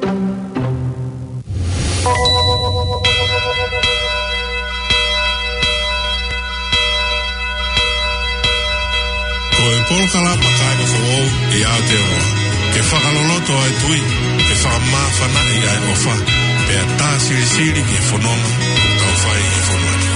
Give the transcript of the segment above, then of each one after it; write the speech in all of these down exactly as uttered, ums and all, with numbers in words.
Ko e polokalama kāinga foʻou ʻi Aotearoa, ke fakaloloto ʻa e tui, ke fakamāfanaʻi ʻa e ʻofa, pea tā silisili ki he fononga ʻoku tau fai ʻi he fonua ni.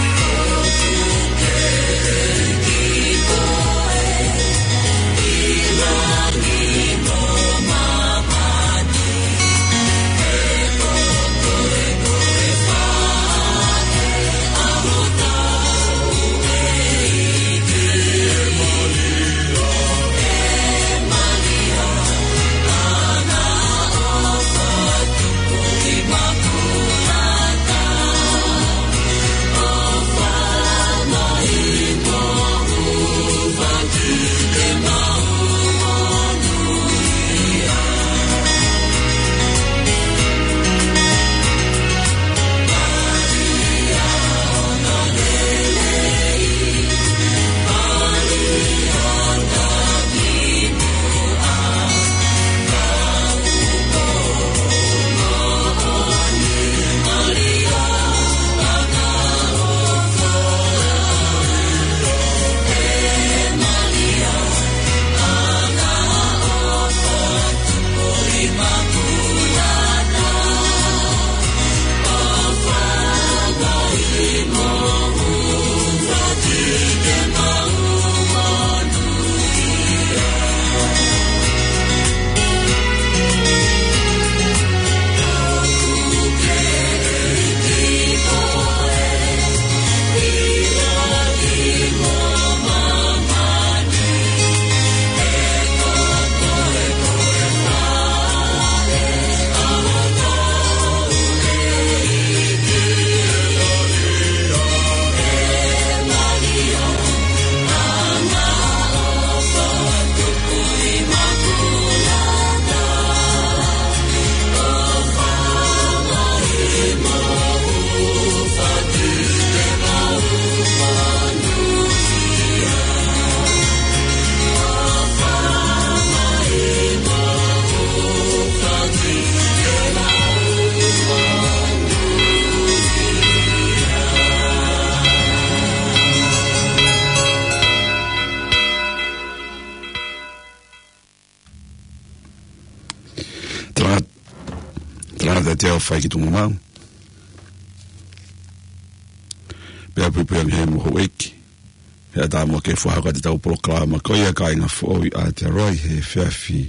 Tala, tala te teo fai ki tunga mau. Pea puipui ange he mo houʻeiki. He ʻatā mo ke fakahoko atu ʻetau polokalama ko ia kāinga foʻou ʻi Aotearoa ʻi he efiafi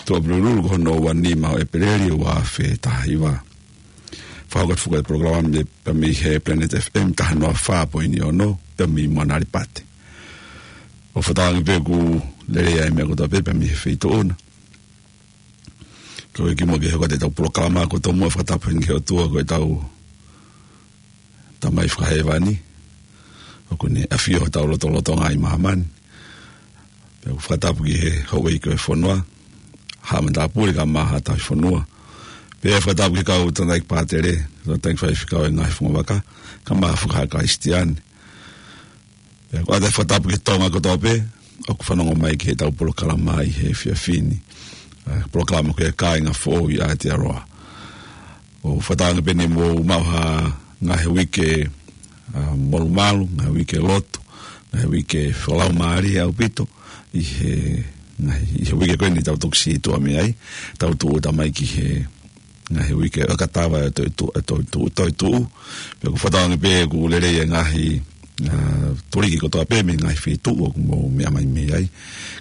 Tuʻapulelulu ko hono ua nima ʻo ʻEpeleli ua afe taha hiva. Fakahoko atu foki e polokalama mei, pea mei he Planet F M taha noa fā poini ono, pea mei Moana Alipate. ʻOku fakatauange pē ʻoku lelei ʻa e meʻa kotoa pē, pea mei he feituʻu na. Ko e kimuʻa ke hoko atu ʻetau polokalama, ko e tomuʻa fakatapu heni ki he ʻOtua ko ʻetau Tamai fakahēvani, ʻoku ne ʻafio hotau lotolotonga ʻi māmani. Pea ʻoku fakatapu ki he houʻeiki ʻo e fonua, haʻa matāpule kae ʻumaʻā haʻa tauhi fonua. Pea fakatapu ki he kau tangataʻeiki pātele, tangataʻeiki faifekau ʻo e ngaahi fungavaka, kae ʻumaʻā e fakataha Kalisitiane. Pea ʻoku ʻoatu e fakatapu ki he Tonga kotoa pē ʻoku fanongo mai ki heʻetau polokalama ʻi he efiafi ni. ʻA e polokalama ko ia kāinga foʻou ʻi Aotearoa. ʻOku fakatauange pē ʻoku mou maʻu ha ngaahi uike, ʻa, molumalu, ngaahi uike lotu, ngaahi uike fakalaumālie ʻaupito, ʻi he, ngaahi, ʻi he uike ko eni tau toki sītuʻa mei ai, tau tūʻuta mai ki he ngaahi uike ʻo e katava ʻo e toetuʻu, ʻo e toetuʻu, toetuʻu. Pea ʻoku fakatauange pē ʻoku lelei e ngaahi, ʻa, tuliki kotoa pē mei he ngaahi feituʻu ʻoku mou meʻa mai mei ai.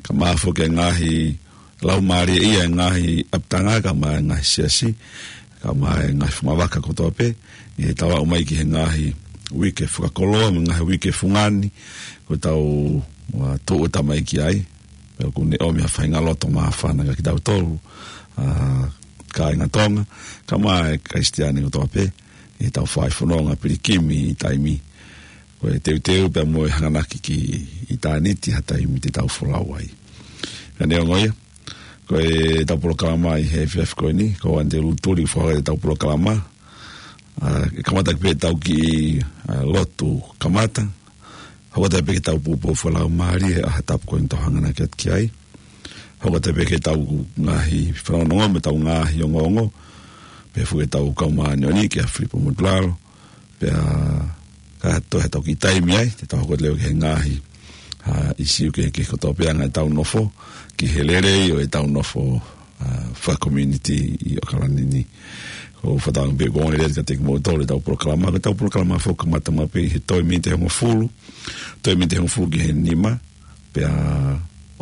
Kae ʻumaʻā foki e ngaahi laumālie ia e ngaahi ʻapitanga, kae ʻumaʻā e ngaahi siasi, kae ʻumaʻā e ngaahi fungavaka kotoa pē, ʻi heʻetau aʻu mai ki he ngaahi uike fakakoloa, mo e ngaahi uike fungani, ʻoku tau, ʻa, tūʻuta mai ki ai. Pea ʻoku ne ʻomi ha faʻahinga loto māfana kiate kitautolu, ʻa, kāinga Tonga, kae ʻumaʻā e Kalisitiane kotoa pē, ʻi heʻetau fai fononga pilikimi ʻi taimi. Ko e teuteu pea mo e hanganaki ki ʻitāniti ha taimi te tau folau ai. Ka neongo ia, ko ʻetau polokalama ʻi he efiafi ko eni, ko Antelutuli fakahoko ʻetau polokalama, ʻa, ʻe kamata pē ʻetau kiʻi, ʻa, lotu kamata, hoko atu pē ke tau poupou fakalaumālie ʻa ha tapu ko eni tau hanganaki atu ki ai. hoko atu pē ki heʻetau ngaahi fanongonongo mo ʻetau ngaahi ongoongo, pea foki ʻetau kau māʻoniʻoni kia Filipo Motulalo, pea ka toe ʻetau kiʻi taimi ai, te tau hoko atu leva ki he ngaahi, ʻa, ʻīsiu kehekehe kotoa pē ʻa ʻetau nofo, ki he lelei ʻo ʻetau nofo, ʻa, fakakomiunitī ʻi ʻAokalani ni. Ko e fakatauange pē ʻoku ongoongolelei kiate kimoutolu ʻetau polokalama, ko ʻetau polokalama foki ʻoku kamata maʻu pē ʻi he toe miniti ʻe hongofulu, toe miniti ʻe hongofulu ki he nima, pea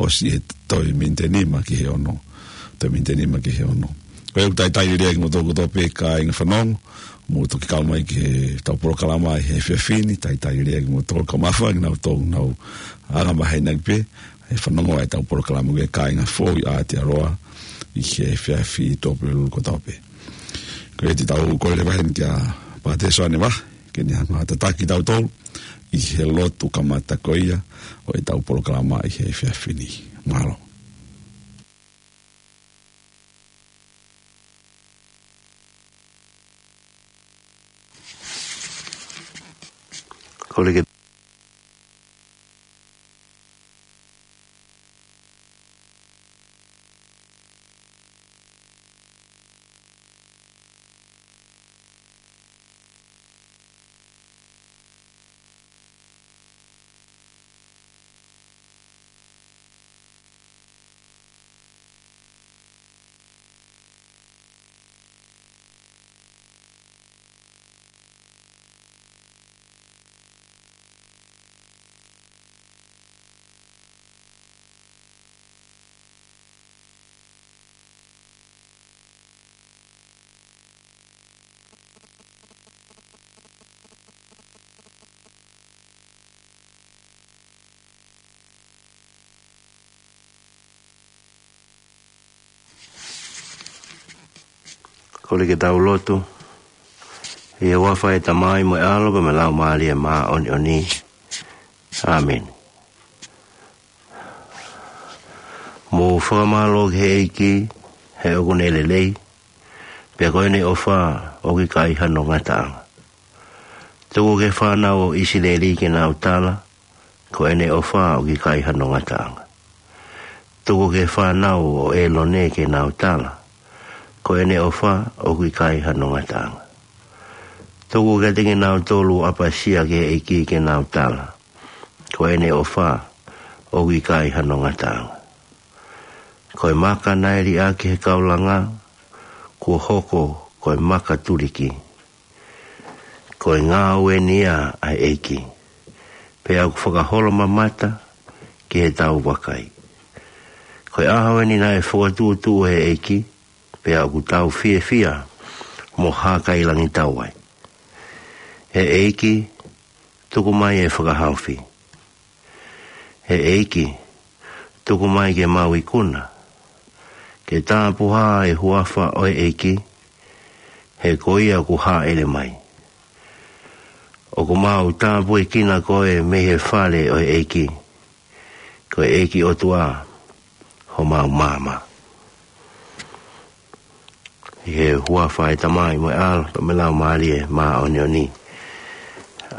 ʻosi he toe miniti ʻe nima ki he ono. Toe miniti ʻe nima ki he ono. Ko ia ʻoku talitali lelei kimoutolu kotoa pē kāinga fanongo, mou toki kau mai ki heʻetau polokalama ʻi he efiafi ni, talitali lelei kimoutolu, ka mafai ke nau toe nau anga maheni ange pē, ʻe fanongo ʻetau polokalama ki he kāinga foʻou ʻi Aotearoa, ʻi he efiafi ʻi Tuʻapulelulu kotoa pē. Ko ia te tau kole leva heni kia Pātele Soane Vahe, ke ne hanga ʻo tataki kitautolu, ʻi he lotu kamata ko ia, ʻo ʻetau polokalama ʻi he efiafi ni. Mālō. Kole ke Kole ke tau lotu. ʻI he huafa ʻo e Tamai mo e ʻAlo pea mo e Laumālie Māʻoniʻoni. ʻĀmeni. Mou fakamālō ki he ʻEiki, he ʻoku ne lelei, pea ko ʻene ʻofa ʻoku ʻikai hano ngataʻanga. Tuku ki he fānau ʻo ʻIsileli ke nau tala, ko ʻene ʻofa ʻoku ʻikai hano ngataʻanga. Tuku ki he fānau ʻo ʻĒlone ke nau tala, ko ʻene ʻofa ʻoku ʻikai hano ngataʻanga. Tuku kiate kinautolu ʻoku ʻapasia ki he ʻEiki ke nau tala, ko ʻene ʻofa ʻoku ʻikai hano ngataʻanga. Ko e maka naʻe liʻaki ʻe he kau langa, kuo hoko ko e maka tuliki. Ko e ngāue eni ia ʻa e ʻEiki, pea ʻoku fakaholomamata ki heʻetau vakai. Ko e ʻaho eni naʻe fokotuʻutuʻu ʻe he ʻEiki, pea ʻoku tau fiefia mo hākailangitau ai. ʻE ʻEiki, tuku mai e fakahaofi. ʻE ʻEiki, tuku mai ke mau ikuna, ke tāpuhā e huafa ʻo e ʻEiki, he ko ia ʻoku hāʻele mai. ʻOku mau tāpuekina koe mei he fale ʻo e ʻEiki, ko e ʻEiki ʻOtua homau maama. ʻI he huafa ʻo e Tamai mo e ʻAlo pea mo e Laumālie Māʻoniʻoni.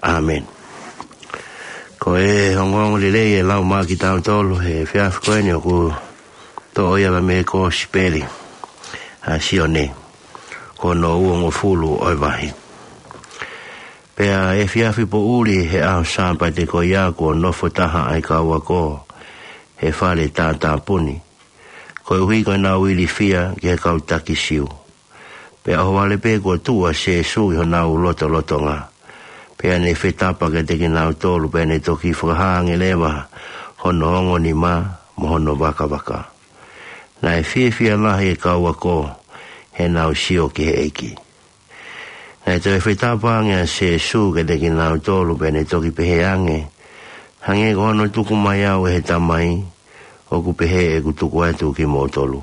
ʻĀmeni. Ko e ongoongolelei ʻe lau maʻa kitautolu he efiafi ko eni ʻoku toʻo ia mei he Kosipeli ʻa Sione, ko hono uongofulu ʻo e vahe. Pea efiafi poʻuli he ʻaho Sāpate ko ia kuo nofo taha ʻa e kau ako he fale tātāpuni, koeʻuhi ko ʻenau ilifia ki he kau taki Siu. Pea ʻohovale pē kuo tuʻu ʻa Sēsū ʻi honau lotolotonga, pea ne fetapa kiate kinautolu, pea ne toki fakahā ange leva hono ongo nima mo hono vakavaka. Naʻe fiefia lahi e kau ako heʻenau sio ki he ʻEiki. Naʻe toe fetapa ange ʻa Sēsū kiate kinautolu, pea ne toki pehē ange, hangē ko hono tuku mai au ʻe he Tamai, ʻoku pehē ʻeku tuku atu kimoutolu.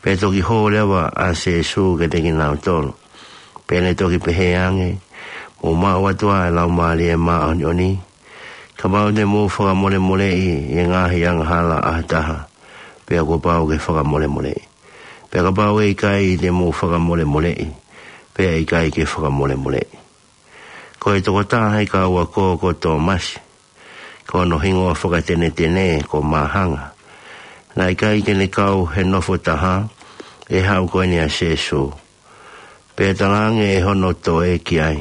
Pea toki hō leva ʻa Sēsū kiate kinautolu, pea ne toki pehē ange, mou maʻu atu ʻa e Laumālie Māʻoniʻoni. Kapau te mou fakamolemoleʻi ʻi he ngaahi angahala ʻa ha taha, pea kuo pau ke fakamolemoleʻi. Pea kapau ʻe ʻikai te mou fakamolemoleʻi, pea ʻe ʻikai ke fakamolemoleʻi. Ko e tokotaha ʻi he kau ako ko Tōmasi, ko hono hingoa fakatenetene ko Māhanga, Naʻe ʻikai ke ne kau he nofo taha ʻe he haʻu ko eni ʻa Sēsū. Pea talaange ʻe hono toe ki ai,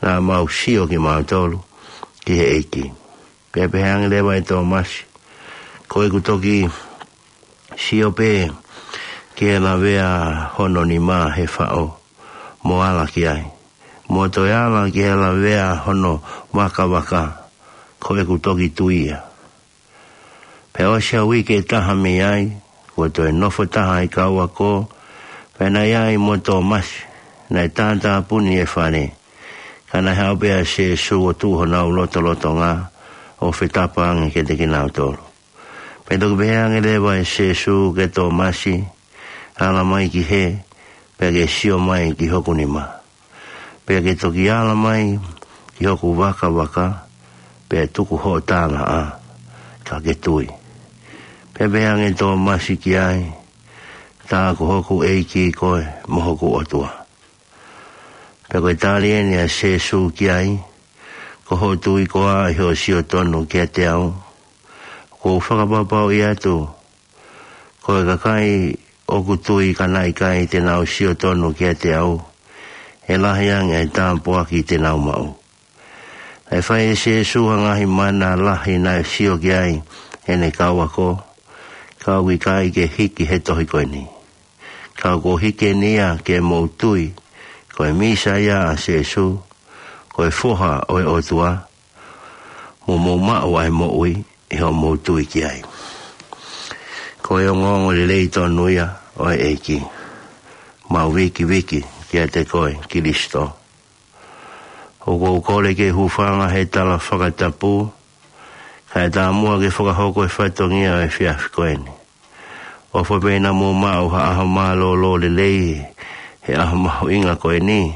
naʻa mau sio kimautolu ki he ʻEiki. Pea pehē ange leva ʻe Tōmasi, ko ʻeku toki sio pē ki he lavea hono nima he faʻo, mo ala ki ai, mo toe ala ki he lavea hono vakavaka, ko ʻeku toki tui ia. Pea ʻosi ha uike ʻe taha mei ai, kuo toe nofo taha ʻa e kau ako, pea naʻe ʻi ai mo Tōmasi, naʻe tātāpuni e fale. Ka naʻe haʻu pē ʻa Sēsū ʻo tuʻu honau lotolotonga, ʻo fetapa ange kiate kinautolu. Pea toki pehē ange leva ʻe Sēsū kia Tōmasi, ala mai ki hē, pea ke sio mai ki hoku nima. Pea ke toki ala mai ki hoku vakavaka, pea tuku hoʻo tālaʻa, ka ke tui. Pea pehē ange Tōmasi ki ai, tā ko hoku ʻEiki koe mo hoku ʻOtua. Pea ko e tali eni ʻa Sēsū ki ai, ko hoʻo tui koā ʻi hoʻo sio tonu kiate au. Ko u fakapapauʻi atu, ko e kakai ʻoku tui ka naʻe ʻikai te nau sio tonu kiate au, ʻe lahi ange ʻa e tāpuaki te nau maʻu. Naʻe fai ʻe Sēsū ha ngaahi mana lahi naʻe sio ki ai ʻene kau ako, ka ʻoku ʻikai ke hiki he tohi ko eni. Ka kuo hiki eni ia ke mou tui, ko e Mīsaia ʻa Sēsū, ko e Foha ʻo e ʻOtua, mo mou maʻu ʻa e moʻui ʻi hoʻomou tui ki ai. Ko e ongoongolelei tonu ia ʻo e ʻEiki. Mau vikiviki kiate koe Kilisito. ʻOku ou kole ke hūfanga he tala fakatapu, kae tāmuʻa ke fakahoko e fatongia ʻo e efiafi ko eni. ʻOfa pē naʻa mou maʻu ha ʻaho mālōlō lelei he ʻaho mahuʻinga ko eni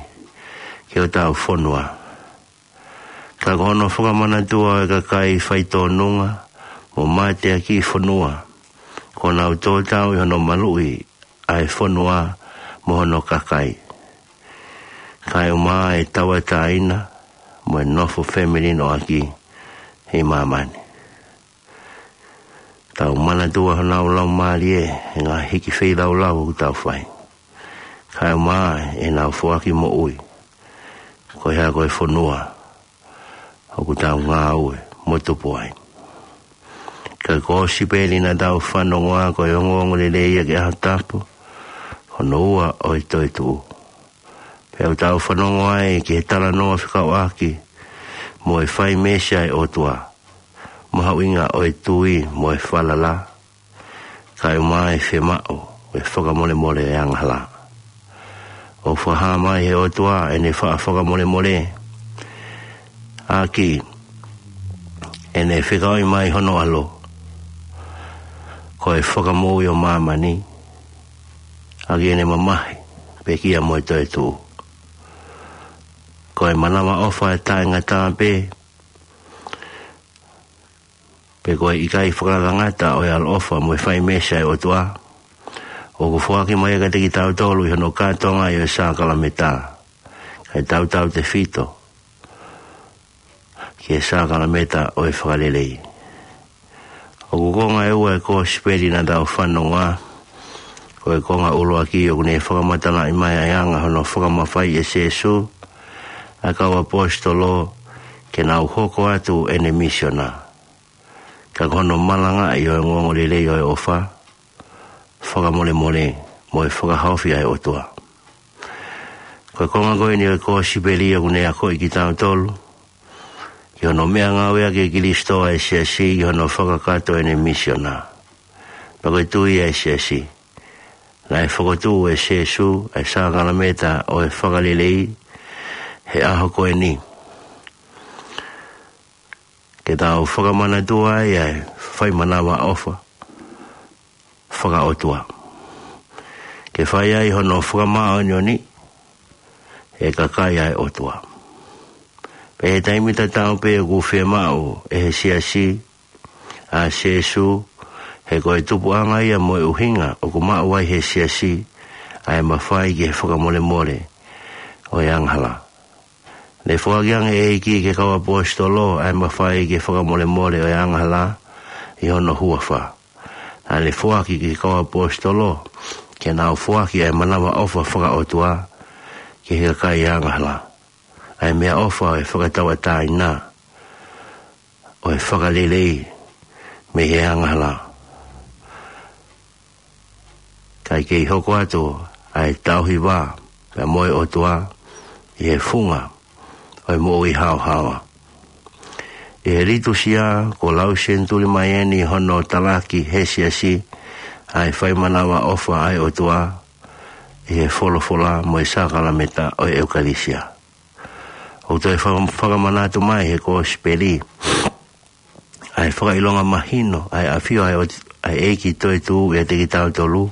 ki hotau fonua. Ka ko hono fakamanatua ʻo e kakai faitōnunga mo mateakiʻi fonua, kuo nau tō tau ʻi hono maluʻi ʻa e fonua mo hono kakai. Kae ʻumaʻā e tauʻatāina mo e nofo femilinoʻaki ʻi māmani. Tau manatua honau laumālie he ngaahi hiki feilaulau ʻoku tau fai, kae ʻumaʻā ʻenau foaki moʻui, ko e hā, ko e fonua ʻoku tau ngāue mo tupu ai. Ka ko e kōsipeli naʻa tau fanongoa ko e ongoongolelei ia ki he ʻaho tapu, hono ua ʻo e toetuʻu. Pea ʻoku tau fanongoa ai ki he talanoa fekauʻaki mo e fai meesi ʻa e ʻOtua, mahuʻinga ʻo e tui mo e falala, kae ʻumaʻā e fiemaʻu ʻo e fakamolemole ʻo e angahala. ʻOku fakahā mai he ʻOtua ʻene faʻa fakamolemole ʻaki ʻene fekauʻi mai hono ʻAlo ko e Fakamoʻui ʻo māmani, ʻaki ʻene mamahi, pekia mo e toetuʻu. Ko e manavaʻofa ʻe taʻengata pē, pe ko e ʻikai fakalangata ʻo e ʻaloʻofa mo e fai meesi ʻa e ʻOtua, ʻoku foaki mai kiate kitautolu ʻi hono kātoanga ʻi he sākalameta, kae tautautefito ki he sākalameta ʻo e Fakalelei. ʻOku konga ʻe ua e kōsipeli naʻa tau fanongoa. Ko e konga ʻuluaki ʻoku ne fakamatalaʻi mai ʻa e anga hono fakamafaiʻi ʻe Sēsū ʻa e kau ʻaposetolo ke nau hoko atu ʻene misiona. Ka ko hono malangaʻi ʻo e ongoongolelei ʻo e ʻofa, fakamolemole mo e fakahaofi ʻa e ʻOtua. Ko e konga ko eni ʻo e kōsipeli ʻoku ne akoʻi kitautolu ki hono meʻangāueʻaki ʻe Kilisito ʻa e siasi ʻi hono fakakakato ʻene misiona. Pea ko e tui ʻa e siasi, naʻe fokotuʻu ʻe Sēsū ʻa e sākalameta ʻo e Fakalelei he ʻaho ko eni, ke tau fakamanatua ai ʻa e fai manavaʻofa fakaʻotua, ke fai ai hono fakamāʻoniʻoniʻi e kakai ʻa e ʻOtua. Pea ʻi he taimi tatau pē ʻoku fiemaʻu ʻe he siasi ʻa Sēsū, he ko e tupuʻanga ia mo e ʻuhinga ʻoku maʻu ai ʻe he siasi ʻa e mafai ki he fakamolemole ʻo e angahala. Ne foaki ange ʻe he ʻEiki ki he kau ʻaposetolo ʻa e mafai ki he fakamolemole ʻo e angahala ʻi hono huafa. Naʻa ne foaki ki he kau ʻaposetolo ke nau foaki ʻa e manavaʻofa fakaʻotua ki he kakai angahala, ʻa e meʻaʻofa ʻo e fakatauʻatāina ʻo e fakalelei mei he angahala. Kae kei hoko atu ʻa e tauhi vā pea mo e ʻOtua ʻi he funga ʻo e moʻui haohaoa. ʻI he litusia, kuo lau senituli mai eni hono talaki he siasi ʻa e fai manavaʻofa ʻa e ʻOtua ʻi he folofola mo e sākalamēniti ʻo e ʻEukalisia. ʻOku toe faka-, fakamanatu mai he Kosipeli ʻa e fakaʻilonga mahino ʻa e ʻafio ʻa e ʻOtu-, ʻa e ʻEiki toetuʻu ʻiate kitautolu,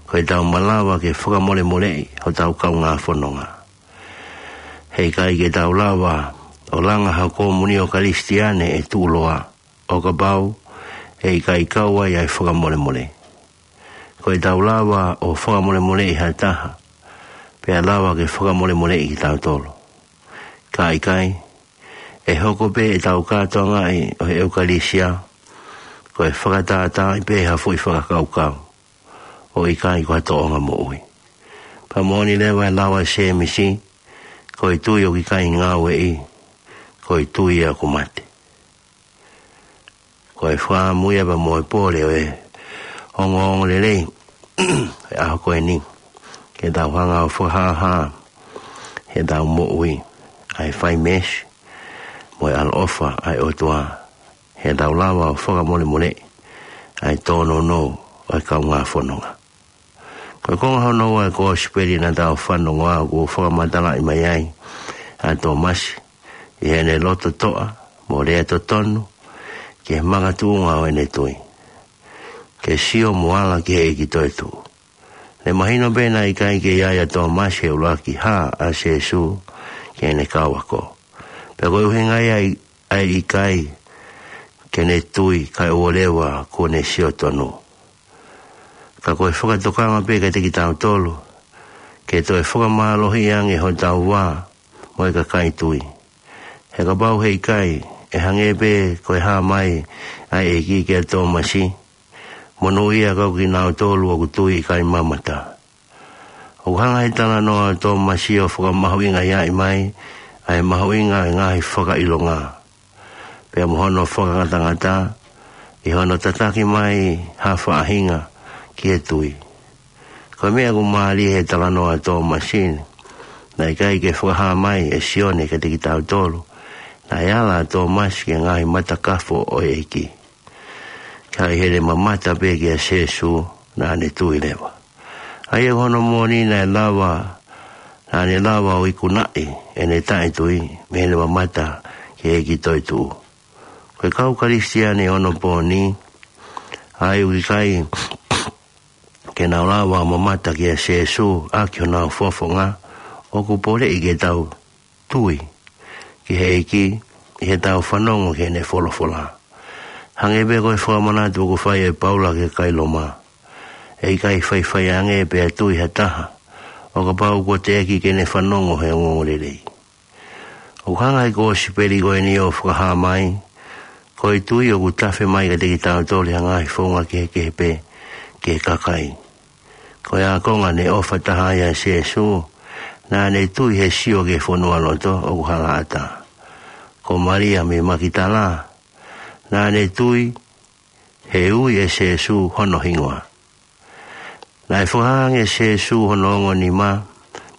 ko ʻetau malava ke fakamolemoleʻi hotau kaungā fononga. He ʻikai ke tau lava ʻo langa ha komunio Kalisitiane ʻe tuʻuloa ʻo kapau ʻe ʻikai kau ai ʻa e fakamolemole. Ko ʻetau lava ʻo fakamolemoleʻi ha taha, pea lava ke fakamolemoleʻi kitautolu. Ka ʻikai, ʻe hoko pē ʻetau kātoangaʻi ʻo e ʻEukalisia ko e fakatātaaʻi pē ha foʻi fakakaukau, ʻo ʻikai ko ha tōʻonga moʻui. Pea moʻoni leva e lau ʻa Sēmisi, ko e tui ʻoku ʻikai ngāueʻi, ko e tui ia ʻoku mate. Ko e fakaʻamu ia pea mo e pole ʻo e ongoongolelei ʻo e ʻaho ko eni, ke tau hanga ʻo fakahāhā heʻetau moʻui ʻa e fai meesi mo e ʻaloʻofa ʻa e ʻOtua, heʻetau lava ʻo fakamolemoleʻi ʻa e tōnounou ʻo e kaungā fononga. Ko e konga hono ua ʻo e Kosipeli naʻa tau fanongoa, ʻoku fakamatalaʻi mai ai ʻa Tōmasi ʻi heʻene loto toʻa mo lea totonu ki he makatuʻunga ʻo ʻene tui, ke sio mo ala ki he ʻEiki toetuʻu. Ne mahino pē naʻe ʻikai ke ʻi ai ʻa Tōmasi he ʻuluaki hā ʻa Sēsū ki heʻene kau ako. Pea ko e ʻuhinga ia ʻa e ʻikai ke ne tui kae ʻoua leva kuo ne sio tonu. Ka ko e fakatokanga pē kiate kitautolu ke toe fakamālohiʻi ange hotau vā mo e kakai tui. He kapau he ʻikai, ʻe hangē pē ko e hā mai ʻa e ʻEiki kia Tōmasi, monūʻia kau kinautolu ʻoku tui ʻikai mamata. ʻOku hanga he talanoa ʻo Tōmasi ʻo fakamahuʻingaʻi mai ʻa e mahuʻinga ʻo e ngaahi fakaʻilonga pea mo hono fakangatangata ʻi hono tataki mai ha faʻahinga ki he tui. Ko e meʻa ʻoku mālie he talanoa ʻo Tōmasi ni, naʻe ʻikai ke fakahā mai ʻe Sione kiate kitautolu naʻe ala ʻa Tōmasi ki he ngaahi matakafo ʻo e ʻEiki. Ka ʻi heʻene mamata pē kia Sēsū, naʻa ne tui leva. ʻA ia ko hono moʻoni naʻe lava, naʻa ne lava ʻo ikunaʻi ʻene taʻetui mei heʻene mamata ki he ʻEiki toetuʻu. Ko e kau Kalisitiane ʻo onopooni, ʻa ia ʻoku ʻikai ke nau lava ʻo mamata kia Sēsū ʻaki honau fofonga, ʻoku poleʻi ke tau tui ki he ʻEiki ʻi heʻetau fanongo ki heʻene folofola. Hangē pē ko e fakamanatu ʻoku fai ʻe Paula ki he kakai Loma, ʻe ʻikai faifai ange pea tui ha taha ʻo kapau kuo teʻeki ke ne fanongo he ongoongolelei. ʻOku hanga he Kosipeli ko eni ʻo fakahā mai, ko e tui ʻoku tafe mai kiate kitautolu ʻi ha ngaahi founga kehekehe pē ki he kakai. Ko e ākonga ne ʻofa taha ai ʻa Sēsū, naʻa ne tui he sio ki he fonualoto ʻoku halaʻatā. Ko Malia mei Makitala, naʻa ne tui he ui ʻe Sēsū hono hingoa. Naʻe fakahā ange ʻe Sēsū hono ongo nima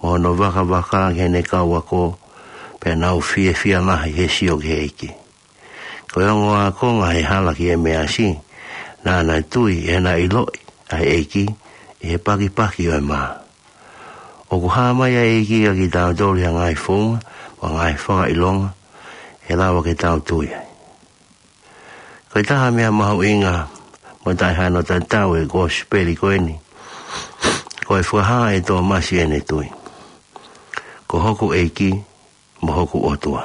mo hono vakavaka ki heʻene kau ako, pea nau fiefia lahi he sio ki he ʻEiki. Ko e ongo ākonga he hala ki ʻEmeasi, naʻa na tui ʻi heʻena ʻiloʻi ʻa e ʻEiki ʻi he pakipaki ʻo e mā. ʻOku hā mai ʻa e ʻEiki kia kitautolu ʻi ha ngaahi founga mo ha ngaahi fakaʻilonga ʻe lava ke tau tui ai. Ko e taha meʻa mahuʻinga mo taʻehano tatau ʻo e Kosipeli ko eni, ko e fakahā ʻe Tōmasi ʻene tui, ko hoku ʻEiki mo hoku ʻOtua.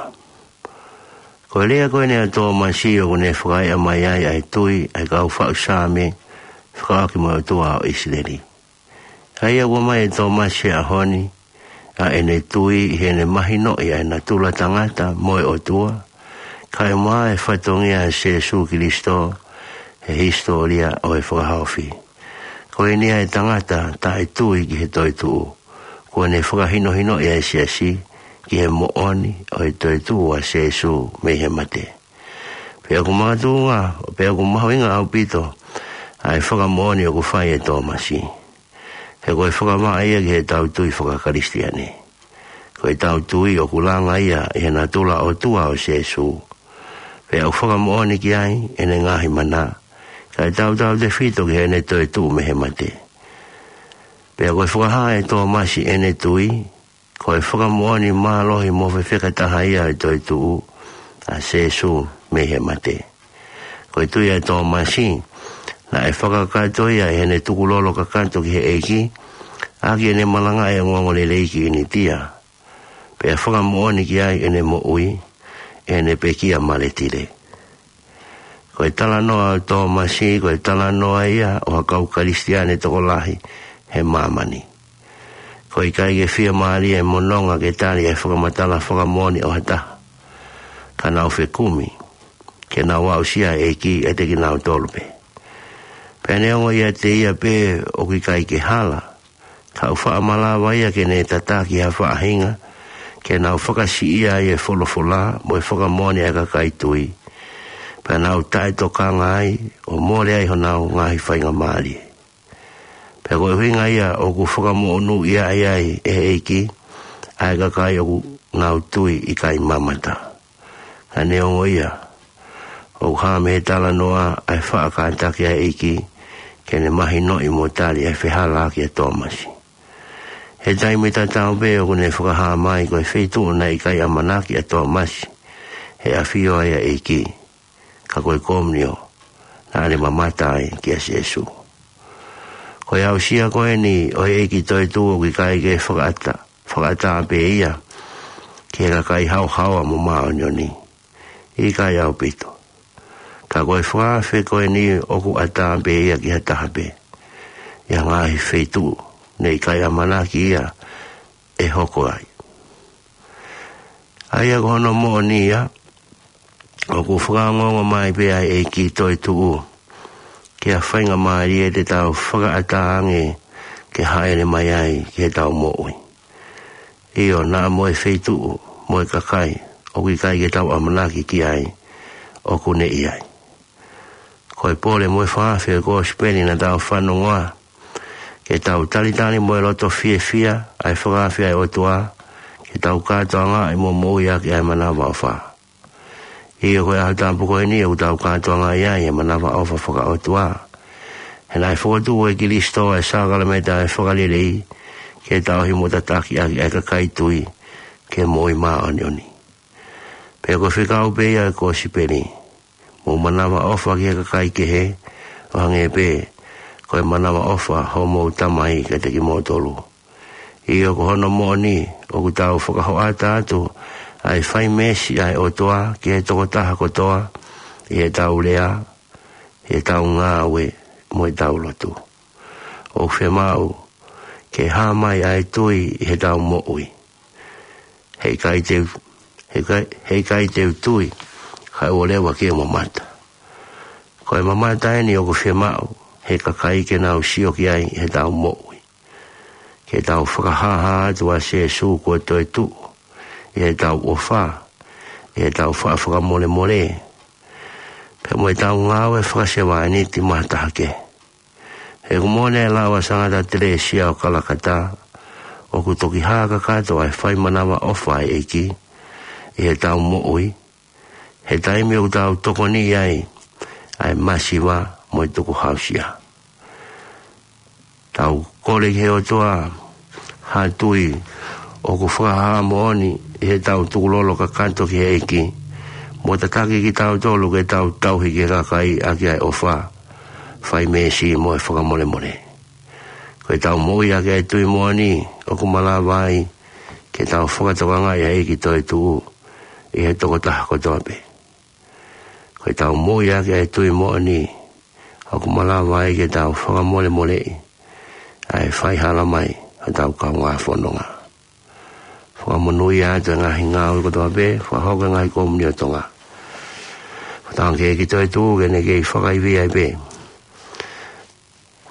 Ko e lea ko eni ʻa Tōmasi ʻoku ne fakaeʻa mai ai ʻa e tui ʻa e kau faʻu Saame fekauʻaki mo e ʻOtua ʻo ʻIsileli. ʻA ia ʻoku ʻomai ʻe Tōmasi he ʻaho ni ʻa ʻene tui ʻi heʻene mahinoʻi ʻa e natula tangata mo e ʻOtua, kae ʻumaʻā e fatongia ʻo Sēsū Kilisitō, he hisitōlia ʻo e fakahaofi. Ko eni ʻa e tangata taʻetui ki he toetuʻu, kuo ne fakahinohinoʻi ʻa e siasi ki he moʻoni ʻo e toetuʻu ʻa Sīsū mei he mate. Pea ʻoku makatuʻunga, pea ʻoku mahuʻinga ʻaupito ʻa e fakamoʻoni ʻoku fai ʻe Tōmasi. He ko e fakavaʻe ia ki heʻetau tui fakakalisitiane. Ko ʻetau tui ʻoku langa ia ʻi he natula ʻOtua ʻo Sīsū. Pea ʻoku fakamoʻoni ki ai ʻene ngaahi mana, kae tautautefito ki heʻene toetuʻu mei he mate. Pea ko e fakahā ʻe Tōmasi ʻene tui, ko e fakamoʻoni mālohi mo fefekataha ia ʻo e toetuʻu ʻa Sīsū mei he mate. Ko e tui ʻa Tōmasi, naʻe fakakakato ia ʻi heʻene tukulolo kakato ki he ʻEiki, ʻaki ʻene malangaʻi ʻa e ongoongolelei ki ʻInitia. Pea fakamoʻoni ki ai ʻene moʻui, ʻene pekia maletile. Ko e talanoa ʻo Tōmasi, ko e talanoa ia ʻo ha kau Kalisitiane tokolahi he māmani. Ko e ʻikai ke fiemālie mo nonga ke tali e fakamatala fakamoʻoni ʻo ha taha. Ka nau fekumi ke nau aʻusia e ʻEiki ʻiate kinautolu pē. Pea neongo ʻiate ia pē ʻoku ʻikai ke hala, ka ʻoku faʻa malava ia ke ne tataki ha faʻahinga ke nau fakasiʻia ai e folofola mo e fakamoʻoni ʻa e kakai tui. Pea nau taʻetokanga ai ʻo mole ai honau ngaahi faingamālie. Pea ko e ʻuhinga ia ʻoku fakamoʻonuʻia ai ʻe he ʻEiki ʻa e kakai ʻoku nau tui ʻikai mamata. Ka neongo ia, ʻoku hā mei he talanoa ʻa e faʻa kātaki ʻa e ʻEiki ke ne mahinoʻi mo tali e fehālaaki ʻa Tōmasi. He taimi tatau pē ʻoku ne fakahā mai ko e feituʻu naʻe ʻikai ʻamanaki ʻa Tōmasi he ʻafio ai ʻa e ʻEiki, ka ko e komunio naʻa ne mamata ai kia Sīsū. Ko e aʻusia ko eni ʻo e ʻEiki toetuʻu ʻoku ʻikai ke fakaʻatā, fakaʻatā pē ia ki he kakai haohaoa mo māʻoniʻoni. ʻIkai ʻaupito. Ka ko e fakaafe ko eni ʻoku ʻatā pē ia ki ha taha pē ʻi ha ngaahi feituʻu naʻe ʻikai ʻamanaki ia ʻe hoko ai. ʻA ia ko hono moʻoni ia, ʻoku fakaongoongo mai pē ʻa e ʻEiki toetuʻu ki ha faingamālie te tau fakaʻatā ange ke hāʻele mai ai ki heʻetau moʻui. ʻIo, naʻa mo e feituʻu mo e kakai ʻoku ʻikai ke tau ʻamanaki ki ai, ʻoku ne ʻi ai. Ko e pole mo e fakaafe ʻo e kosipeli naʻa tau fanongoa, ke tau talitali mo e loto fiefia ʻa e fakaafe ʻa e ʻOtua, ke tau kātoangaʻi mo moʻui ʻaki ʻa e manavaʻofa. ʻIo, ko e ʻaho tapu ko eni ʻoku tau kātoangaʻi ai e manavaʻofa fakaʻotua. He naʻe fokotuʻu ʻe Kilisitō ʻa e sākalamēniti ʻo e fakalelei ke tauhi mo tataki ʻaki ʻa e kakai tui ki he moʻui māʻoniʻoni. Pea ko e fekau pē ia ʻo e kosipeli: Mou manavaʻofa ki he kakai kehe, ʻo hangē pē ko e manavaʻofa homou Tamai kiate kimoutolu. ʻIo, ko hono moʻoni, ʻoku tau fakahoʻata atu ʻa e fai meesi ʻa e ʻOtua ki he tokotaha kotoa, ʻi heʻetau lea, ʻi heʻetau ngāue, mo ʻetau lotu. ʻOku fiemaʻu ke hā mai ʻa e tui ʻi heʻetau moʻui. He ʻikai te u, he ʻikai, he ʻikai te u tui, kae ʻoua leva ke u mamata. Ko e mamata eni ʻoku fiemaʻu he kakai ke nau sio ki ai ʻi heʻetau moʻui. Ke tau fakahāhā atu ʻa Sīsū kuo toetuʻu, ʻi heʻetau ʻofa, ʻi heʻetau faʻa fakamolemole, pea mo ʻetau ngāue fakasevāniti mo ha taha kehe. He ʻoku moʻoni e lau ʻa Sangata Telēsia ʻo Kalakatā, ʻoku toki hā kakato ʻa e fai manavaʻofa ʻa e ʻEiki ʻi heʻetau moʻui, he taimi ʻoku tau tokoniʻi ai ʻa e masiva mo e tukuhāusia. Tau kole ki he ʻOtua ha tui ʻoku fakahā moʻoni ʻi heʻetau tukulolo kakato ki he ʻEiki, mo tataki kitautolu ke tau tauhi ki he kakai ʻaki ʻa e ʻofa, fai meesi mo e fakamolemole. Ko ʻetau moʻui ʻaki ʻa e tui moʻoni, ʻoku malava ai ke tau fakatokangaʻi ʻa e ʻEiki toetuʻu ʻi he tokotaha kotoa pē. Ko ʻetau moʻui ʻaki ʻa e tui moʻoni, ʻoku malava ai ke tau fakamolemoleʻi ʻa e faihala mai ʻa hotau kaungā fononga. Fakamonūʻia atu e ngaahi ngāue kotoa pē, fakahoko e ngaahi komiuniti ʻo Tonga. Tangata ke ke toetuʻu ke ne kei fakaivia ai pē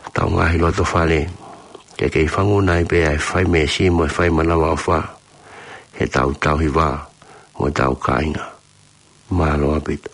ʻetau ngaahi loto fale, ke kei fanguna ai pē ʻa e fai meesi mo e fai manavaʻofa heʻetau tauhi vā mo ʻetau kāinga. Mālō ʻaupito.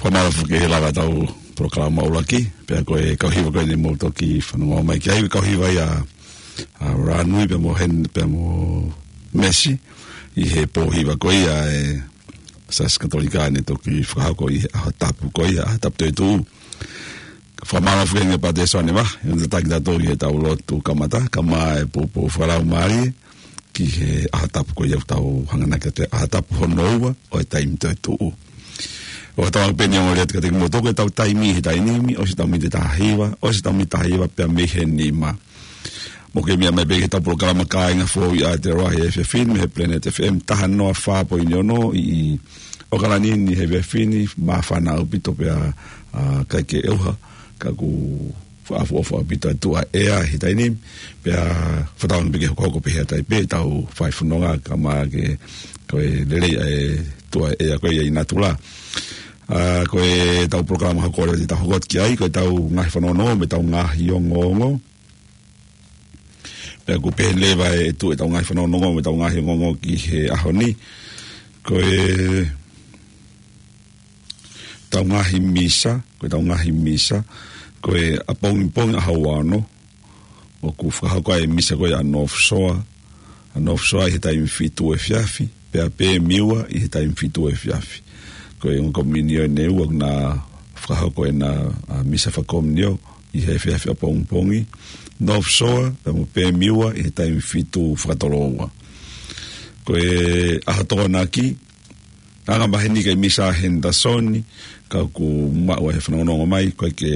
Fakamālō foki he lava ʻetau polokalama ʻuluaki, pea ko e kau hiva ko eni mou toki fanongo mai ki ai, kau hiva ia ʻa Ranui pea mo Hen, pea mo Mesi, ʻi he pō hiva ko ia ʻa e Siasi Katolika ne toki fakahoko ʻi he ʻaho tapu ko ia, ʻaho tapu toetuʻu. Fakamālō foki ange Pātele Sone ma, ʻi heʻene tataki kitautolu ʻi heʻetau lotu kamata, kae ʻumaʻā e poupou fakalaumālie ki he ʻaho tapu ko ia ʻoku tau hanganaki atu, ʻaho tapu hono ua ʻo e taimi toetuʻu. ʻOku tau pehē ni ʻoku lelei atu kiate kimoutolu ʻetau taimi he taimi ni, ʻosi ʻetau miniti ʻe taha hiva, ʻosi ʻetau miniti ʻe taha hiva pea mei he nima. Mou kei meʻa mai pē ki heʻetau polokalama Kāinga Foʻou ʻi ʻAotearoa he efiafi ni mei he Planet F M taha noa fā poini ono ʻi, ʻi ʻAokalani ni he efiafi ni, māfana ʻaupito pea, ʻa, ʻikai ke ʻauha, ka ʻoku fakaʻofoʻofa ʻaupito ʻa e tuʻa ʻea he taimi ni, pea fakatauange pē ke hokohoko pē he ʻatai pē ʻetau fai fononga kae ʻumaʻā ke, ko e lelei ʻa e tuʻa ʻea ko ia ʻi natula. ʻA, ko ʻetau polokalama hoko leva te tau hoko atu ki ai, ko ʻetau ngaahi fanongonongo mo ʻetau ngaahi ongoongo. Pea ʻoku pehē leva ʻe tuʻu ʻetau ngaahi fanongonongo mo ʻetau ngaahi ongoongo ki he ʻaho ni. Ko ʻetau ngaahi misa, ko ʻetau ngaahi misa, ko e ʻapongipongi ʻaho ua ono, ʻoku fakahoko ai e misa ko ia ʻa North Shore, ʻa North Shore ʻi he taimi fitu efiafi, pea PM ua ʻi he taimi fitu efiafi. Ko e ongo komiunio ʻe ua ʻoku na fakahoko ʻena, ʻa, misa fakakomiunio ʻi he efiafi ʻapongipongi, North Shore, pea mo PM ua ʻi he taimi fitu fakatoloua. Ko e ʻaho Tokonaki, anga maheni ko e misa Henderson, ka ʻoku maʻu ai he fanongonongo mai, ʻoku ʻikai ke,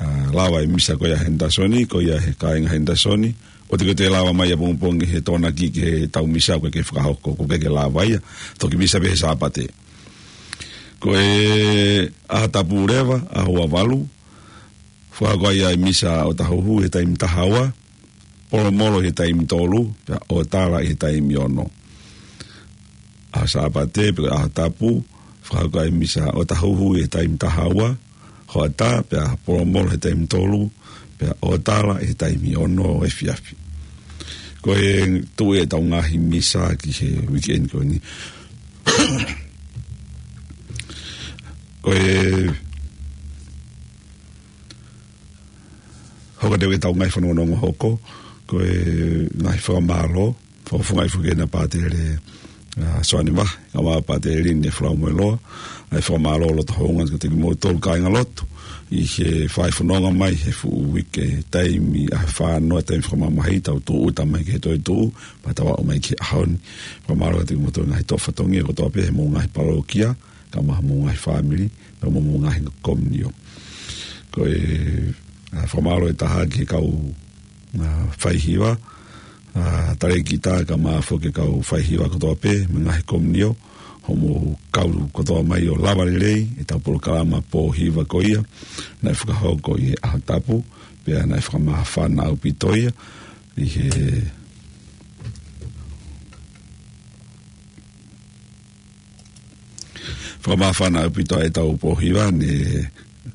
ʻa, lava e misa ko ia Henderson, ko ia he kāinga Henderson, ʻoua te ke toe lava mai ʻapongipongi he Tokonaki ki heʻetau misa ʻoku ʻikai ke fakahoko, ʻoku ʻikai ke lava ia, toki misa pē he Sāpate. Ko e ʻaho Tapu leva, ʻaho ua valu, fakahoko ai e misa ʻo Tahuhu he taimi taha ua, Polomolo he taimi tolu, pea ʻo Tala he taimi ono. ʻAho Sāpate, pe ko e ʻaho Tapu, fakahoko ai e misa ʻo Tahuhu he taimi taha ua, hoʻatā, pea Polomolo he taimi tolu, pea ʻo Tala he taimi ono efiafi. Ko e tuʻu ʻetau ngaahi misa ki he weekend ko eni. Ko e hoko atu ʻetau ngaahi fanongonongo hoko, ko e ngaahi fakamālō, fakafofongaʻi foki ʻena Pātele, ʻa, Soane Vahe, kae ʻumaʻā Pātele Lini Flau Moeloa, ʻa e fakamālō loto houngaʻia kiate kimoutolu kāinga lotu, ʻi he fai fononga mai he fuʻu uike taimi ʻa e fānau taimi fakamamahi tau tūʻuta mai ki he toetuʻu, pea tau aʻu mai ki he ʻaho ni. Fakamālō kiate kimoutolu ngaahi toʻo fatongia kotoa pē he mou ngaahi palōkia, kae ʻumaʻā homou ngaahi fāmili, pea mo homou ngaahi komiunio. Ko e, ʻa, fakamālō ʻe taha ki he kau, ʻa, faihiva, ʻa, talēkita kae ʻumaʻā foki e kau faihiva kotoa pē, mei he ngaahi komiunio, hoʻomou kau kotoa mai ʻo lava lelei ʻetau polokalama pōhiva ko ia, naʻe fakahoko ʻi he ʻaho Tapu, pea naʻe fakamāfana ʻaupito ia, ʻi he fakamāfana ʻaupito ʻetau pōhiva, ne,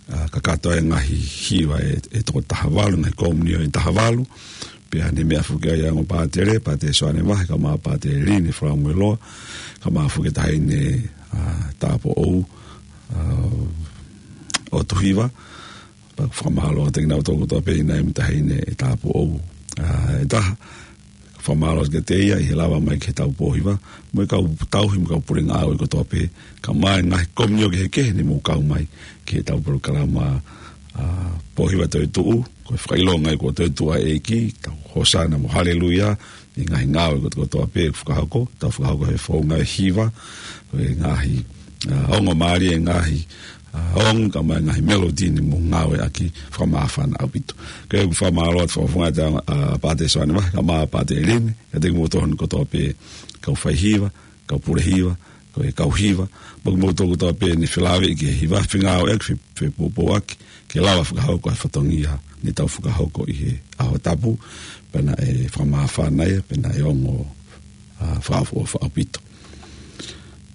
ʻa, kakato e ngaahi hiva ʻe, ʻe toko taha valu, ngaahi komiunio ʻe taha valu, pea ne meʻa foki ai ʻa e ongo pātele, Pātele Soane Vahe, kae ʻumaʻā Pātele Lini Flau Moeloa, kae ʻumaʻā foki e taʻahine, ʻa, tāupoʻou, ʻa, ʻo Tuhiva, pea ʻoku fakamālō atu kiate kinautolu kotoa pē ʻi he ngaahi taʻahine ʻe tāupoʻou, ʻa, ʻe taha. Fakamālō kiate ia ʻi he lava mai ki heʻetau pōhiva, mo e kau tauhi mo e kau pule ngāue kotoa pē, kae ʻumaʻā e ngaahi komiunio kehekehe ne mou kau mai ki heʻetau polokalama, ʻa, pōhiva toetuʻu, ko e fakaʻilonga ia kuo toetuʻu ʻa e ʻEiki, tau hōsana mo haleluia, ʻi he ngaahi ngāue kotoa kotoa pē ʻoku fakahoko, tau fakahoko he founga ʻo e hiva, ko e ngaahi, ʻa, ongo mālie, ngaahi, ʻa, ongo kae ʻumaʻā e ngaahi melody ne mou ngāueʻaki, fakamāfana ʻaupito. Ko ia ʻoku fakamālō atu fakafofongaʻi atu ʻa, ʻa, Pātele Soane Vahe, kae ʻumaʻā Pātele Lini, kiate kimoutolu kotoa pē kau faihiva, kau pule hiva, ko e kau hiva, mo kimoutolu kotoa pē ne felāveʻi ki he hiva, fengāueʻaki, fe-, fepoupouaki, ke lava fakahoko e fatongia ne tau fakahoko ʻi he ʻaho Tapu, pea naʻe fakamāfana ia, pea naʻe ongo, ʻa, fakaʻofoʻofa ʻaupito.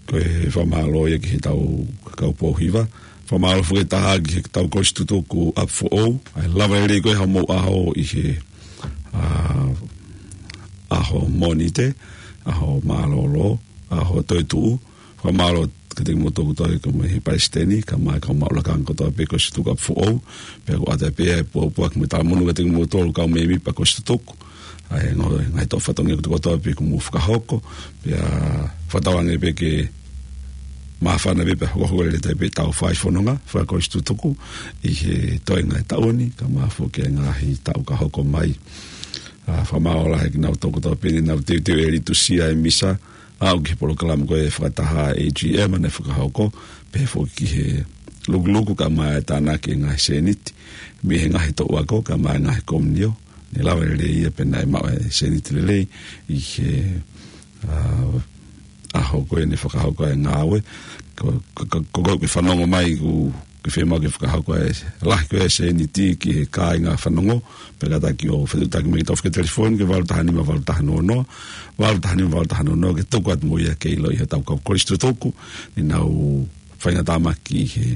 Ko e fakamālō ia ki heʻetau kau pōhiva, fakamālō foki ʻe taha ki heʻetau kolisi tutuku ʻapi foʻou, ʻa e lava lelei ko ē hoʻomou ʻaho ʻi he, ʻa, ʻaho Mōnite, ʻaho mālōlō, ʻaho toetuʻu, fakamālō kiate kimoutolu kotoa pē mei he palesiteni, kae ʻumaʻā e kau maʻu lakanga kotoa pē kolisi tutuku ʻapi foʻou, pea ʻoku ʻoatu pē ʻa e pōpoaki mo e talamonū kiate kimoutolu kau mēmipa kolisi tutuku, ʻa e ngaahi, ngaahi toʻo fatongia kotoa kotoa pē kuo mou fakahoko, pea fakatauange pē ke māfana pē pea hokohoko lelei pē ʻetau fai fononga fakakolisi tutuku ʻi he toenga ʻo e taʻu ni, kae ʻumaʻā foki e ngaahi taʻu ka hoko mai. ʻA, fakamālō lahi kiate kinautolu kotoa pē ne nau teuteu e liturgia e misa, aʻu ki he polokalama ko ē fakataha ʻa e AGM naʻe fakahoko, pehē foki ki he lukuluku kae ʻumaʻā e tānaki e ngaahi sēniti mei he ngaahi toʻu ako kae ʻumaʻā e ngaahi komiunio, ne lava lelei ia pea naʻe maʻu e sēniti lelei ʻi he, ʻa, ʻaho ko ē ne fakahoko e ngāue. Ko, ko, ko, ko, ko e fanongo mai ʻoku ke fiemaʻu ke fakahoko e lahi ko ē e sēniti ki he kāinga fanongo, pea kātaki ʻo fetuʻutaki mai ki heʻetau fokotuʻu telefoni ki he valu taha nima valu taha noa noa, valu taha nima valu taha noa noa, ke tuku atu mo ia ke ʻiloʻi ʻe hotau kau kolisi tutuku ne nau faingataʻa mai ki he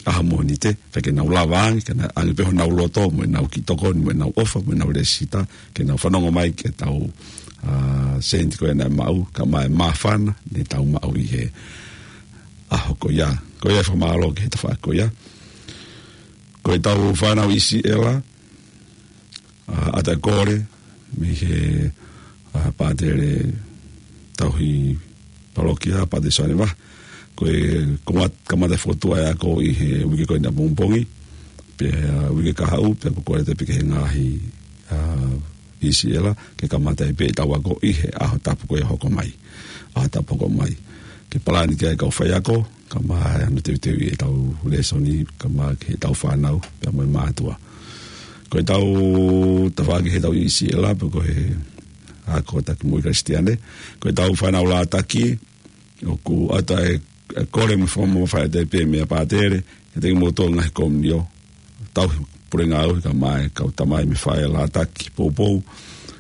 ʻaho Mōnite, pea ke nau lava ange, ke nau ʻoange pē honau loto, mo ʻenau kiʻi tokoni, mo ʻenau ʻofa, mo ʻenau lēsisita, ke nau fanongo mai ki heʻetau, ʻa, sēniti ko ē naʻe maʻu, kae ʻumaʻā e māfana ne tau maʻu ʻi he ʻaho ko ia. Ko ia e fakamālō ki he tafaʻaki ko ia. Ko ʻetau fānau ʻIsileli, ʻa, ʻata e kole, mei he, ʻa, pātele tauhi palokia, Pātele Soane Vaha. Ko e, ko mat-, kamata e fokotuʻu e ako ʻi he uike ko eni ʻapongipongi, pea, ʻa, uike kahaʻu, pea ko e kole atu pē ki he ngaahi, ʻa, ʻi Siela, ke kamata ai pē ʻetau ako ʻi he ʻaho tapu ko ia hoko mai. ʻAho tapu hoko mai. Ke palani ki ai e kau faiako, kae ʻumaʻā hono teuteuʻi ʻetau lēsoni, kae ʻumaʻā ki heʻetau fānau, pea mo e mātuʻa. Ko ʻetau tafaʻaki heʻetau ʻi Siela, pe ko e ako taki moʻui Kalisitiane, ko ʻetau fānau lātaki, ʻoku ʻata e, e kole mo e fakamamafaʻi atu pē meia pātele, ʻiate kimoutolu ngaahi komiunio, tauhi pule ngāue kae ʻumaʻā e kau tamai mo e faʻē lātaki poupou,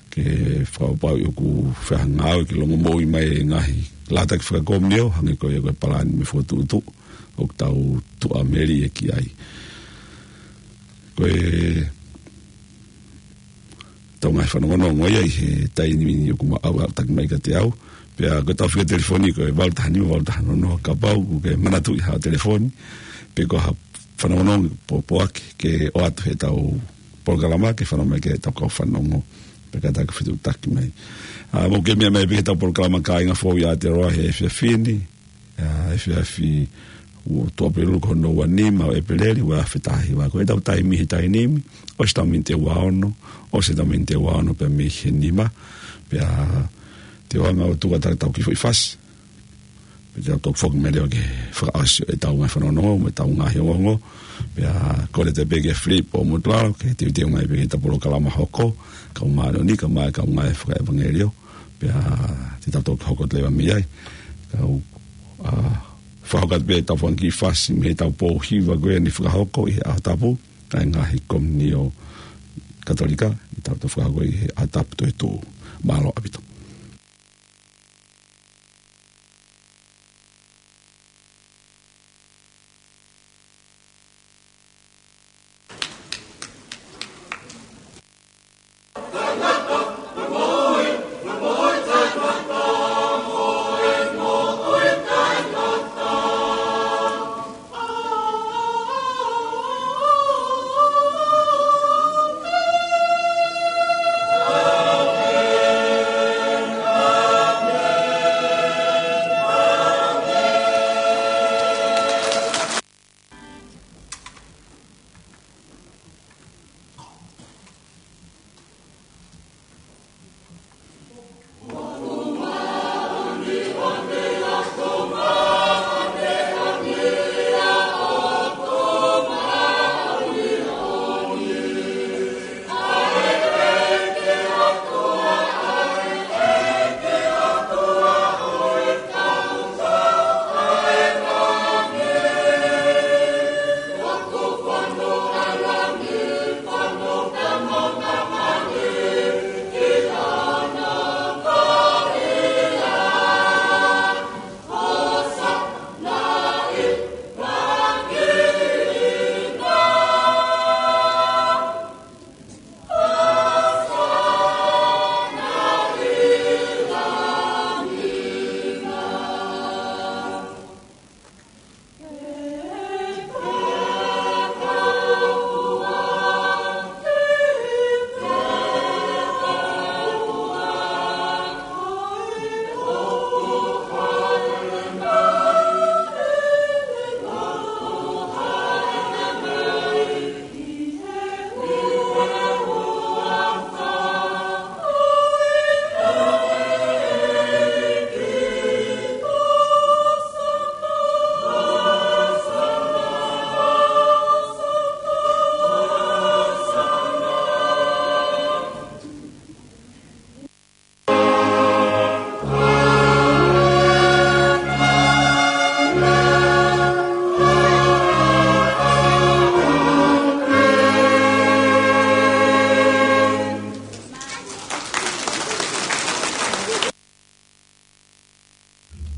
ke fakapapauʻi ʻoku fai ha ngāue ke longomoʻui mai e ngaahi lātaki fakakomiunio, hangē ko ia ko e palani mo e fokotuʻutuʻu, ʻoku tau tuʻu melie ki ai. Ko e tau ngaahi fanongonongo ia ʻi he taimi ni ʻoku ma-, ʻalu ʻalu taki mai kiate au. Pea ko ʻetau fika telefoni ko e valu taha nima, valu taha noa noa kapau ʻoku ke manatuʻi haʻo telefoni. Pe ko ha fanongonongo pōpoaki ke ʻoatu heʻetau polokalama ke fanongo mai ki ai ʻetau kau fanongo. Pea ka ta ke fetuʻutaki mai. ʻA, mou ke meʻa mai pē ki heʻetau polokalama Kāinga Fou ʻi Aotearoa he efiafi ni. ʻA, efiafi ua, Tuʻapulelulu ko hono ua nima ʻo ʻEpeleli, ua afe taha hiva. Ko ʻetau taimi he taimi ni, ʻosi ʻetau miniti ʻe ua ono, ʻosi ʻetau miniti ʻe ua ono pea mei he nima, pea te u hanga ʻo tuku atu ʻetau kiʻi foʻi fasi. Pea te u toki foki mai leva ke fakaʻosi ʻetau ngaahi fanongonongo, mo ʻetau ngaahi ongoongo, pea kole atu pē kia Philip ʻo Mutulalo, ke teuteu mai pē ki heʻetau polokalama hoko, kau māʻoniʻoni, kae ʻumaʻā e kau ngāue fakaʻevangeliō, pea te tau toki hoko atu leva mei ai. Kau, ʻa, fakahoko atu pē ʻetau fanga kiʻi fasi mei heʻetau pō hiva ko eni fakahoko ʻi he ʻaho tapu, ʻa e ngaahi komiunio Katolika, ʻi heʻetau toki fakahoko ʻi he ʻaho tapu toetuʻu. Mālō ʻaupito.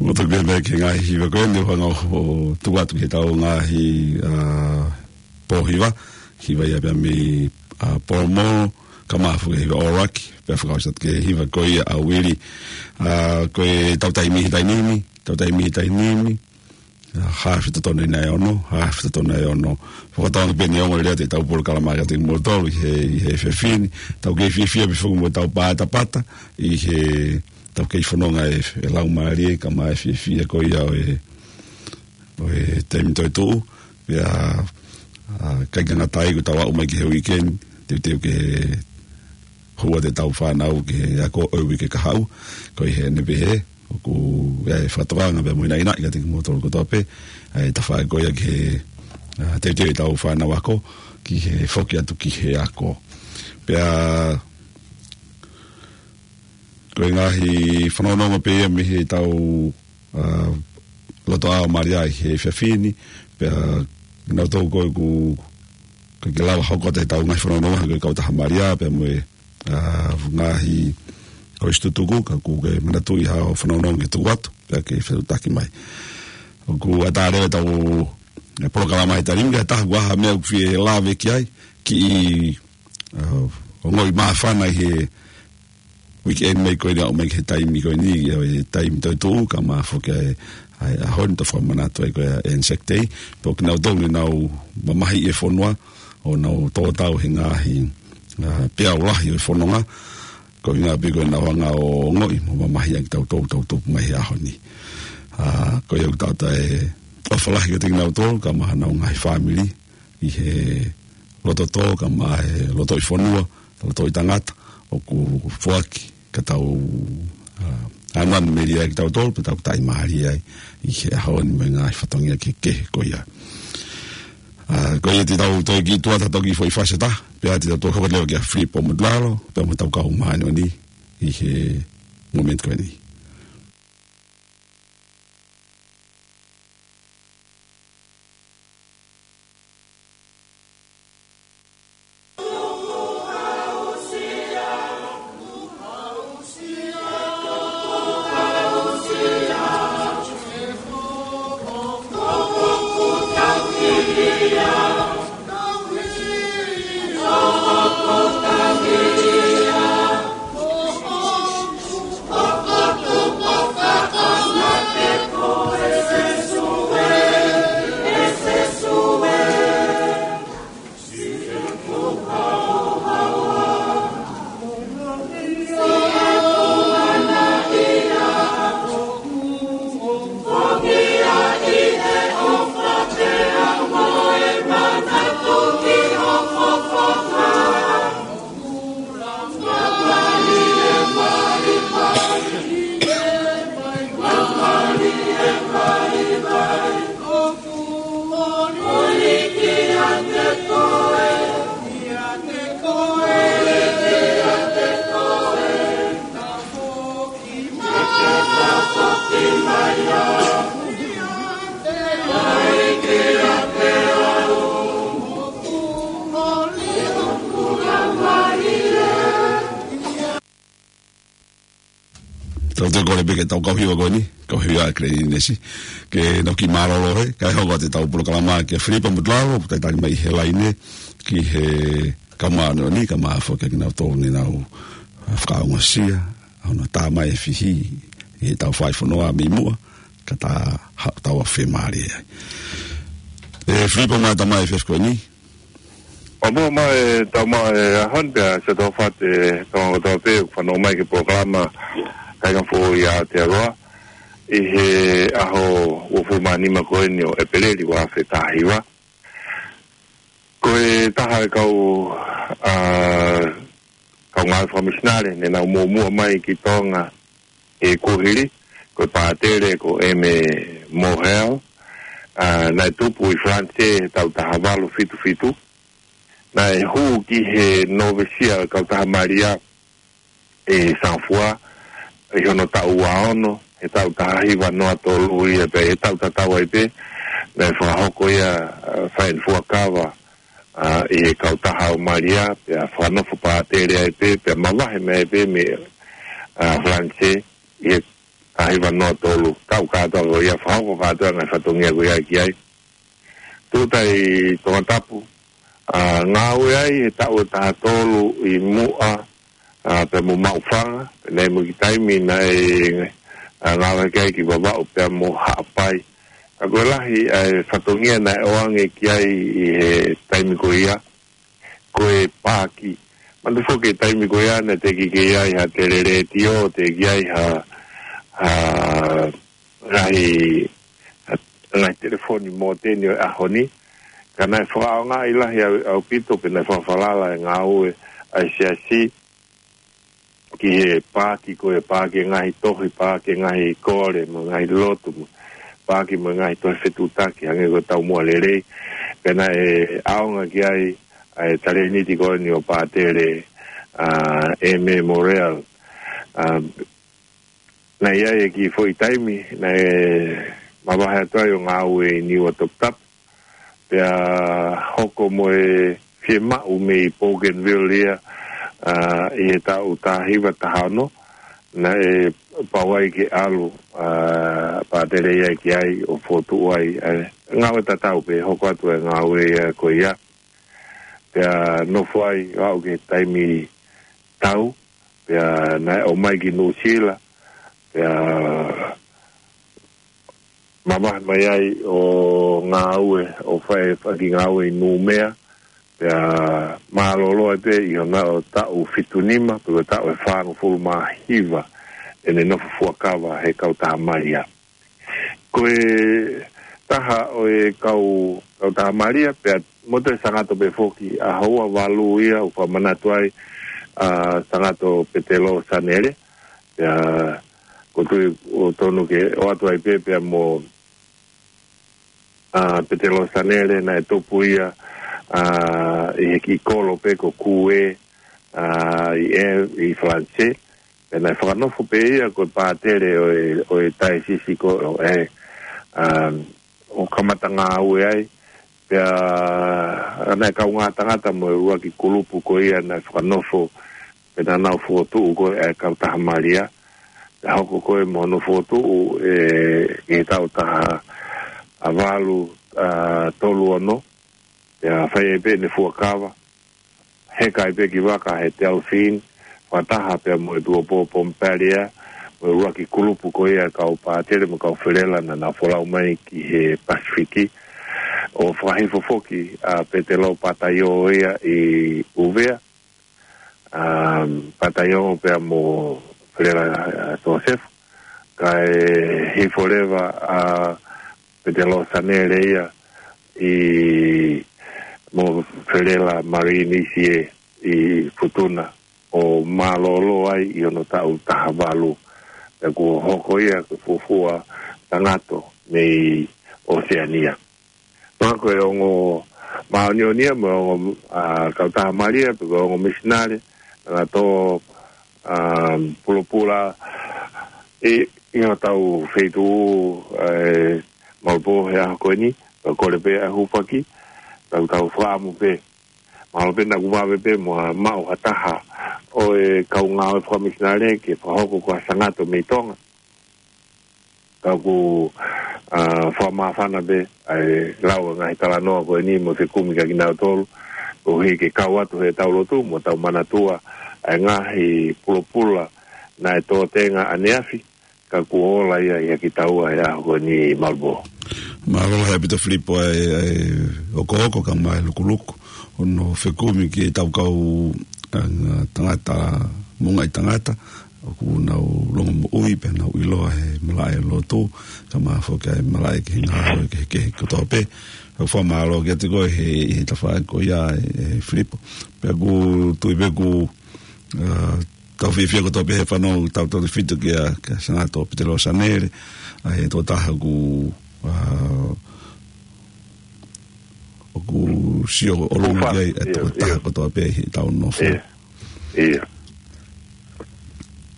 Mo toki pehē mai ki he ngaahi hiva ko eni, ʻoku hanga ʻo tuku atu ki heʻetau ngaahi, ʻa, pō hiva, hiva ia pea mei, ʻa, Polomolo, kae ʻumaʻā foki e hiva ʻo Raki, pea fakaʻosi atu ki he hiva ko ia ʻa Uili. ʻA, ko ʻetau taimi he taimi ni, ʻetau taimi he taimi ni, ʻa, haafe totonu ʻe nai ono, haafe totonu ʻe ono. Fakatauange pē ʻe ongo lelei ʻetau polokalama kiate kimoutolu ʻi he, ʻi he efiafi ni. Tau kei fiefia pē foki mo ʻetau pātapata ʻi he tau kei fononga ʻe, ʻe laumālie kae ʻumaʻā e fiefia ko ia ʻo e, ʻo e taimi toetuʻu. Pea, ʻa, ʻikai ke ngata ai, kuo tau aʻu mai ki he weekend, teuteu ke hū atu ʻetau fānau ki he ako ʻo e uike kahaʻu. Ko ia ʻeni pē ʻoku ʻi ai e fakatokanga pea mo e naʻinaʻi kiate kimoutolu kotoa pē, ʻa e tafaʻaki ko ia ki he, ʻa, teuteu ʻetau fānau ako ki he foki atu ki he ako. Pea ko e ngaahi fanongonongo pē ia mei heʻetau, ʻa, lotoʻā ʻo Malia ʻi he efiafi ni, pea naʻa tau ko ē ʻoku, ʻoku ʻikai ke lava hoko atu ʻetau ngaahi fanongonongo ko e kautaha Malia, pea mo e, ʻa, ngaahi kolisi tutuku, ka ʻoku ke manatuʻi haʻo fanongonongo ke tuku atu, pea ke fetuʻutaki mai. ʻOku ʻatā leva ʻetau, e, polokalama he taimi ni, ka ʻi he taha ʻoku ʻi ai ha meʻa ʻoku fie lave ki ai, kiʻi, ʻa, ongoʻi māfana ʻi he weekend mai ko eni ʻo aʻu mai ki he taimi ko eni, ʻi he taimi toetuʻu, kae ʻumaʻā foki ʻa e, ʻa e ʻaho ni ʻoku tau fakamanatu ai ko e Anzac Day, pea ʻoku nau tonu ʻenau mamahiʻi e fonua, ʻo nau tō tau he ngaahi, ʻa, peau lahi ʻo e fononga, ko e ʻuhinga pē ko ʻenau hanga ʻo ongoʻi mo mamahiʻi ʻaki kitautolu, tau tupu mai he ʻaho ni. ʻA, ko ia ʻoku tau ʻoatu e ʻofa lahi kiate kinautolu, kae ʻumaʻā honau ngaahi fāmili, ʻi he loto tō, kae ʻumaʻā e lotoʻi fonua, lotoʻi tangata, ʻoku foaki ke tau, ʻa, ʻamanaki melie ai kitautolu, pea tau taʻimālie ai ʻi he ʻaho ni mo e ngaahi fatongia kehekehe ko ia. ʻA, ko ia te tau toe kiʻi tuʻu atu ha toki foʻi fasi ʻe taha, pea te tau toe hoko atu leva kia Filipo Mutulalo, pea mo ʻetau kau māʻoniʻoni ʻi he momeniti ko eni. Tau toe kole pē ki heʻetau kau hiva ko eni, kau hiva ʻa Keleninesi, ke nau kiʻi mālōlō he, kae hoko atu ʻetau polokalama kia Filipo Mutulalo, ʻoku talitali mai he laine, ki he kau māʻoniʻoni, kae ʻumaʻā foki kinautolu ne nau fakaongosia ʻa hono tā mai e fihi ʻi heʻetau fai fonua mei muʻa, ka ta haʻu ʻo tau fiemālie ai. ʻE Filipo, mālō e tā mai e efiafi ko eni. ʻO muʻa mai e tau mai e ʻaho ni pea ʻoatu e ʻofa atu ki he toenga kotoa pē ʻoku fanongo mai ki he polokalama Kāinga Foʻou ʻi Aotearoa ʻi he ʻaho uofulu mā nima ko eni ʻo ʻEpeleli ua afe taha hiva. Ko e taha e kau, ʻa, kau ngāue fakamisinale ne nau muʻomuʻa mai ki Tonga he kuohili, ko e pātele ko ʻEme Mohel, ʻa, naʻe tupu ʻi Falanisē he taʻu taha valu fitu fitu. Naʻe hū ki he novesia ʻo e kautaha Malia ʻi Singapore ʻi hono taʻu ua ono, he taʻu taha hiva noa tolu ia pē, he taʻu tatau ai pē, naʻe fakahoko ia, ʻa, fai ʻene fuakava, ʻa, ʻi he kautaha ʻo Malia, pea fakanofo pātele ai pē, pea mavahe mai ai pē mei, ʻa, Falanisē, ʻi he taha hiva noa tolu, taʻu kātoa ko ia, fakahoko kātoa e ngaahi fatongia ko ia ki ai. Tūʻuta ʻi Tongatapu, ʻa, ngāue ai he taʻu ʻe taha tolu ʻi muʻa, ʻa, pea mo Maʻufanga, pea naʻe ʻi ai mo e kiʻi taimi naʻe, ʻa, ngāue ki ai ki Vavaʻu pea mo Haʻapai. Ka ko e lahi ʻa e fatongia naʻe ʻoange ki ai ʻi he taimi ko ia, ko e paaki. Manatu foki e taimi ko ia naʻe teʻeki ke ʻi ai ha teleletio, teʻeki ai ha, ha ngaahi, ha ngaahi telefoni mōteni ʻo e ʻaho ni. Ka naʻe fakaʻaongaʻi lahi ʻau, ʻaupito pe naʻe fakafalala e ngāue ʻa e siasi ki he paaki, ko e paaki e ngaahi tohi, paaki e ngaahi kole, mo e ngaahi lotu, mo paaki mo e ngaahi tohi fetuʻutaki, hangē ko e taumuʻa lelei. Pea naʻe ʻaonga ki ai ʻa e talēniti ko eni ʻo Pātele, ʻa, M. Morrell. ʻA, naʻe ʻi ai e kiʻi foʻi taimi, naʻe mavahe atu ai ʻo ngāue ʻi Niua Toputapu. Pea hoko mo e fiemaʻu mei Bougainville ia, ʻa, ʻi he taʻu taha hiva taha ono, naʻe pau ai ke ʻalu, ʻa, Pātele ia ki ai ʻo fokotuʻu ai, ʻa, ngāue tatau pē, hoko atu e ngāue ia ko ia. Pea nofo ai ʻo aʻu ki he taimi tau, pea naʻe ʻomai ki Nuʻusila, pea mavahe mai ai ʻo ngāue, ʻo fai, fai e kiʻi ngāue ʻi Numea, pea mālōlō ai pē ʻi hono taʻu fitu nima, pe ko e taʻu ʻe fāngofulu mā hiva, ʻene nofo fuakava he kautaha Malia. Ko e taha ʻo e kau, kautaha Malia, pea motu e Sangato pē foki, ʻaho ua valu ia, ʻoku fakamanatu ai ʻa Sangato Petelo Sanele, pea ʻoku ou tui ʻoku totonu ke ʻoatu ai pē, pea mo, ʻa, Petelo Sanele, naʻe tupu ia, ʻa, ʻi he kiʻi kolo pē ko Kue, ʻa, ʻi ʻEve, ʻi Falanisē, pea naʻe fakanofo pē ia ko e pātele ʻo e, ʻo e taesisi ko ē, ʻa, ʻo kamata ngāue ai, pea naʻe kaungā tangata mo e ʻuluaki kulupu ko ia naʻe fakanofo, pea naʻa nau fokotuʻu ko ē ʻa e kautaha Malia, pea hoko ko ē mo hono fokotuʻu ʻe, ʻi he taʻu taha valu, ʻa, tolu ono, pea fai ai pē ʻene fuakava, heka ai pē ki vaka he Delphine, fakataha pea mo e Tuʻuapō Pompallier, mo e ʻuluaki kulupu ko ia kau pātele mo e kau felela naʻa nau folau mai ki he Pasifiki, ʻo fakahifo foki ʻa Petelo Pataio ia ʻi ʻUvea, ʻa, Pataio pea mo felela, ʻa, Joseph, kae hifo leva ʻa Petelo Sanele ia ʻi, mo felela Marie Nisier ʻi Futuna, ʻo mālōlō ai ʻi hono taʻu taha valu. Pea kuo hoko ia ko e fuofua Sangato mei ʻOseania. Pea ko e ongo māʻoniʻoni ia, mo e ongo, ʻa, kautaha Malia, pe ko e ongo misinale, naʻa nau tō, ʻa, pulopula ʻi, ʻi hotau feituʻu, ʻa, Malbō he ʻaho ko eni, pea kole pē ʻa e hūfaki, tau tau fakaʻamu pē. Mahalo pē naʻa ku vave pē mo ha maʻu ha taha ʻo e kau ngāue fakamisinale ke fakahoko ko ha Sangato mei Tonga. Ka ʻoku, ʻa, fakamāfana pē ʻa e lau ʻa e ngaahi talanoa ko eni mo e fekumi kia kinautolu, koeʻuhi ke kau atu heʻetau lotu mo tau manatua ʻa e ngaahi pulopula naʻe tō tenga ʻaneafi, ka kuo ola ia ʻiate kitaua he ʻaho ko eni Malbō. Mālō lahi ʻaupito Filipo ʻa e, ʻa e hokohoko kae ʻumaʻā e lukuluku, hono fekumi ki heʻetau kau, ʻa, tangata, moʻungaʻi tangata, ʻoku nau longomoʻui, pea nau ʻiloa he malaʻe lotu, kae ʻumaʻā foki ʻa e malaʻe ki he ngaahi, ki he, ki he kotoa pē. ʻOku fakamālō kiate koe he, he tafaʻaki ko ia ē, ē Filipo. Pea ʻoku ou tui pē ʻoku, ʻa, tau fiefia kotoa pē he fanongo, tau tau fitu kia, kia Sangato Petelo Sanele, ʻa e tokotaha ʻoku, ʻa, ʻoku sio ʻolunga ki ai, ʻa e tokotaha kotoa pē heʻetau nofo. ʻIo. ʻIo.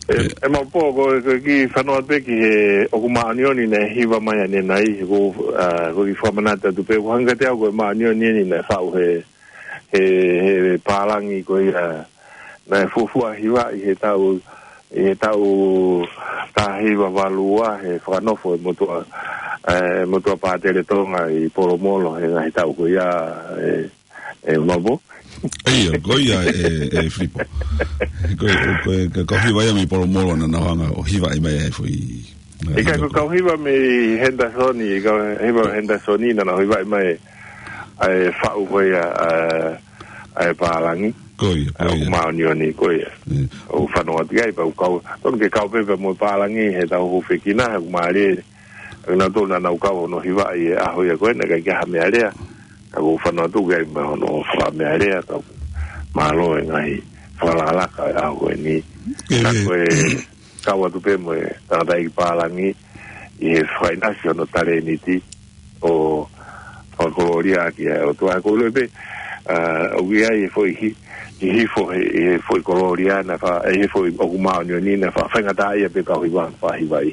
ʻE, ʻe Malbō, ko e, ko e kiʻi fanongo pē ki he, ʻoku māʻoniʻoni naʻe hiva mai ʻanenai, ko, ʻa, ko e kiʻi fakamanatu atu pē, ʻoku hangē kiate au ko e māʻoniʻoni eni naʻe faʻu he, he, he pālangi ko ia, naʻe fuofua hiva ʻi he taʻu, ʻi he taʻu taha hiva valu ua, he fakanofo e motuʻa, ʻe, motuʻa pātele Tonga ʻi Polomolo, he ngaahi taʻu ko ia, ʻe, ʻe Malbō. ʻIo, ko ia ē, ē Filipo. Ko, ko, ko, ko e hiva ia mei Polomolo naʻa nau hanga ʻo hivaʻi mai ai foʻi ʻIkai ko e kau hiva mei Henderson, ʻi he kau hiva Henderson naʻa nau hivaʻi mai ʻa e faʻu ko ia ʻa, ʻa e pālangi. Ko ia, ko ia. ʻOku māʻoniʻoni ko ia. ʻOku fanongo atu ki ai, pea ʻoku kau, tonu ke kau pē pea mo e pālangi, he tau hūfekina, he ʻoku mālie. ʻOku nau tonu naʻa nau kau hono hivaʻi e ʻaho ia ko ē, naʻe ʻikai ke ʻi ai ha meʻa lea. Ka ʻoku fanongo atu ki ai mo hono fakameʻalea, ka ʻoku mālō e ngaahi fakalakalaka e ʻaho ko eni. Ka ko e kau atu pē mo e tangataʻeiki pālangi ʻi he fakaʻinasi hono talēniti ʻo fakakolōlia ʻaki ʻa e ʻOtua. Ko e lue pē, ʻa, ʻoku ʻi ai e foʻi hi-, ʻi he foʻi, ʻi he foʻi kolōlia naʻe fa-, ʻi he foʻi ʻoku māʻoniʻoni naʻe fa-, faingataʻaʻia pē kau hiva, fakahivaʻi.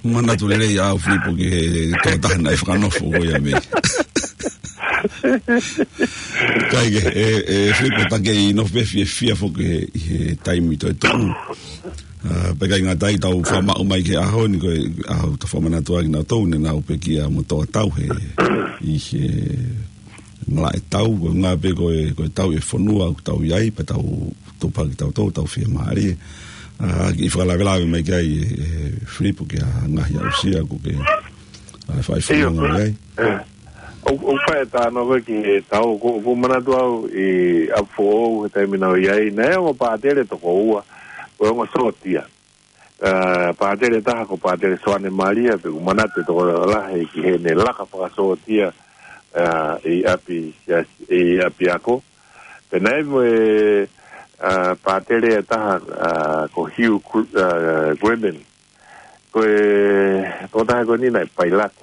Manatu lelei au Filipo ki he tokotaha naʻe fakanofo ko ia mei. Kae kehe, ʻe, ʻe Filipo, ta kei nofo pē fiefia foki he, he taimi toe tuʻu. ʻA, pea ʻikai ngata ai, tau fakamaʻu mai ki he ʻaho ni, ko e ʻaho tau fakamanatu ʻaki naʻa tau ne nau pekia mo toʻatau he, ʻi he malaʻe tau, ko e ngā pē ko e, ko e tau e fonua ʻoku tau ʻi ai, pea tau tupu hake kitautolu, tau fiemālie. ʻA, kiʻi fakalavelave mai ki ai, ʻe, ʻe Filipo, ki ha ngaahi aʻusia ʻoku ke, ʻa, fai fononga mai ai. ʻO, ʻo fai e talanoa ko ē ki he tau, ʻoku, ʻoku manatu au ʻi ʻApifoʻou he taimi naʻa ku ʻi ai, naʻe ongo pātele toko ua, ko e ongo sōtia. ʻA, pātele taha ko Pātele Soane Malia, pea ʻoku manatu e tokolahi ki heʻene laka fakasōtia, ʻa, ʻi ʻapi, ʻi ʻapiako. Pea naʻe mo e, ʻa, pātele ʻe taha, ʻa, ko Hugh Gr-, ʻa, Gremmen. Ko e, tokotaha ko eni naʻe pailate.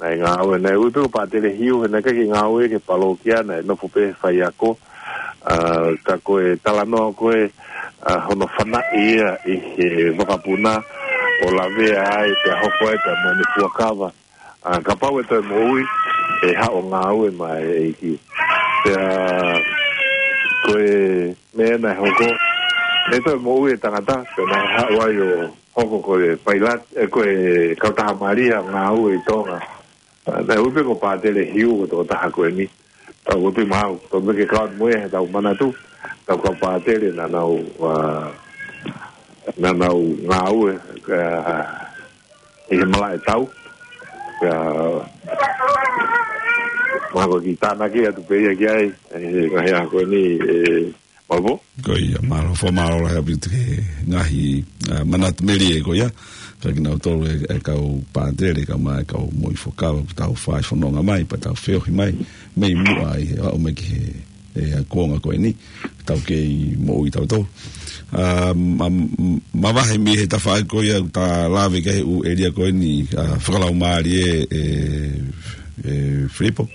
Naʻe ngāue, naʻe ui pē ko Pātele Hiu, he naʻe ʻikai ke ngāue ki he palōkia, naʻe nofo pē faiako, ʻa, ka ko e talanoa ko ē, ʻa, hono fanaʻi ia ʻi he vakapuna ʻo lavea ai, pea hoko ai pea mo ʻene fuakava. ʻA, kapau ʻe toe moʻui, ʻe haʻu ʻo ngāue maʻa e ʻEiki. Pea ko e meʻa naʻe hoko, ʻe toe moʻui e tangata, pea naʻe haʻu ai ʻo hoko ko e pailate, ʻe, ko e kautaha malia ngāue ʻi Tonga. ʻA, naʻe ui pē ko Pātele Hiu ko e tokotaha ko eni. Tau ʻoatu maʻu, tau meke kau mo ia, tau manatu, tau kau pātele naʻa nau, ʻa, naʻa nau ngāue, ʻa, ʻi he malaʻe tau. ʻA, mahalo ko e kiʻi tānaki atu pē ia ki ai, ʻi he ngaahi ʻaho ko eni, ʻe, Malvo. Ko ia, mālō, fakamālō lahi ʻaupito ki he ngaahi, ʻa, manatu melie ko ia. Fakinautolu e, e kau pātele, kau mai, kau moʻui fuakava, ʻoku tau fai fononga mai, pea tau feohi mai, mei muʻa ʻi he aʻu mai ki he, e, kuonga ko eni, tau kei moʻui tautolu. ʻA, ma, ma, mavahe mei he tafaʻaki ko ia, ʻoku ta lave ki ai ʻū ʻēlia ko eni, ʻa, fakalaumālie, e, e, Filipo.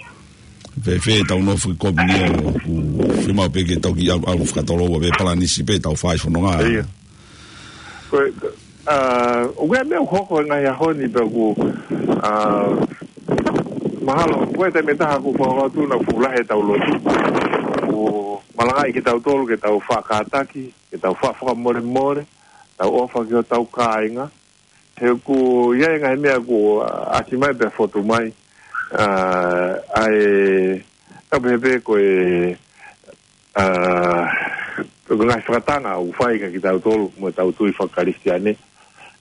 Fēfē ʻetau nofo ki Kōpenia ʻoku fiemaʻu pē ke tau kiʻi ʻalu, ʻalu fakatoloua pē palanisi pē ʻetau fai fononga. Ia. Ko e, ʻa, ʻoku ʻi ai e meʻa ʻoku hoko he ngaahi ʻaho ni pea ʻoku, ʻa, mahalo, ko e taimi ʻe taha ʻoku fakahoko atu naʻa fuʻu lahi ʻetau lotu. ʻOku malangaʻi kitautolu ke tau faʻa kātaki, ke tau faʻa fakamolemole, tau ʻofa ki hotau kāinga. He ʻoku ʻi ai e ngaahi meʻa ʻoku, ʻa, ʻasi mai pea fotu mai. ʻA, ʻa e, tau pehē pē ko e, ʻa, ko e ngaahi fakatanga ʻoku fai kia kitautolu mo ʻetau tui fakakalisitiane.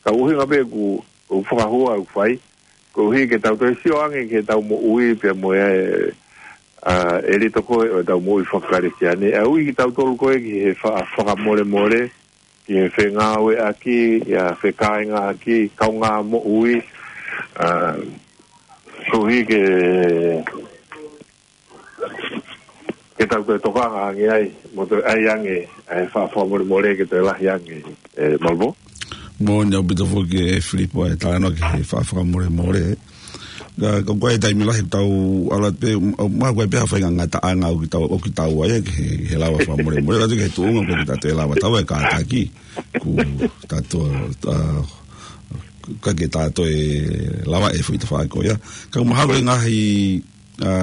Ka ʻuhinga pē ʻoku, ʻoku fakahua ʻoku fai. Koeʻuhi ke tau toe sio ange ki heʻetau moʻui pea mo e, ʻa, ʻelito ko ē ʻo ʻetau moʻui fakakalisitiane. ʻA e ui kitautolu ko ē ki he fa-, fakamolemole, ki he fengāueʻaki, ʻa e fekāingaʻaki, kaungā moʻui, ʻa, koeʻuhi ke, ke tau toe tokanga ange ai, mo toe ʻai ange, ʻa e faʻa fakamolemole ke toe lahi ange, ʻe Malvo. Moʻoni ʻaupito foki ʻe Filipo e talanoa ki he faʻa fakamolemole. Ka, ka ko e taimi lahi tau ʻalu atu pē, ʻo, ma ko e pē ha faingataʻanga ʻoku tau, ʻoku tau ʻai ki he, he lava fakamolemole. Ka tuku he tuʻunga ʻoku ʻikai ke tau toe lava tau e kātaki. ʻOku tau, ʻa, ʻikai ke tau toe lava e foʻi tafaʻaki ko ia. Ka mahalo ko e ngaahi, ʻa,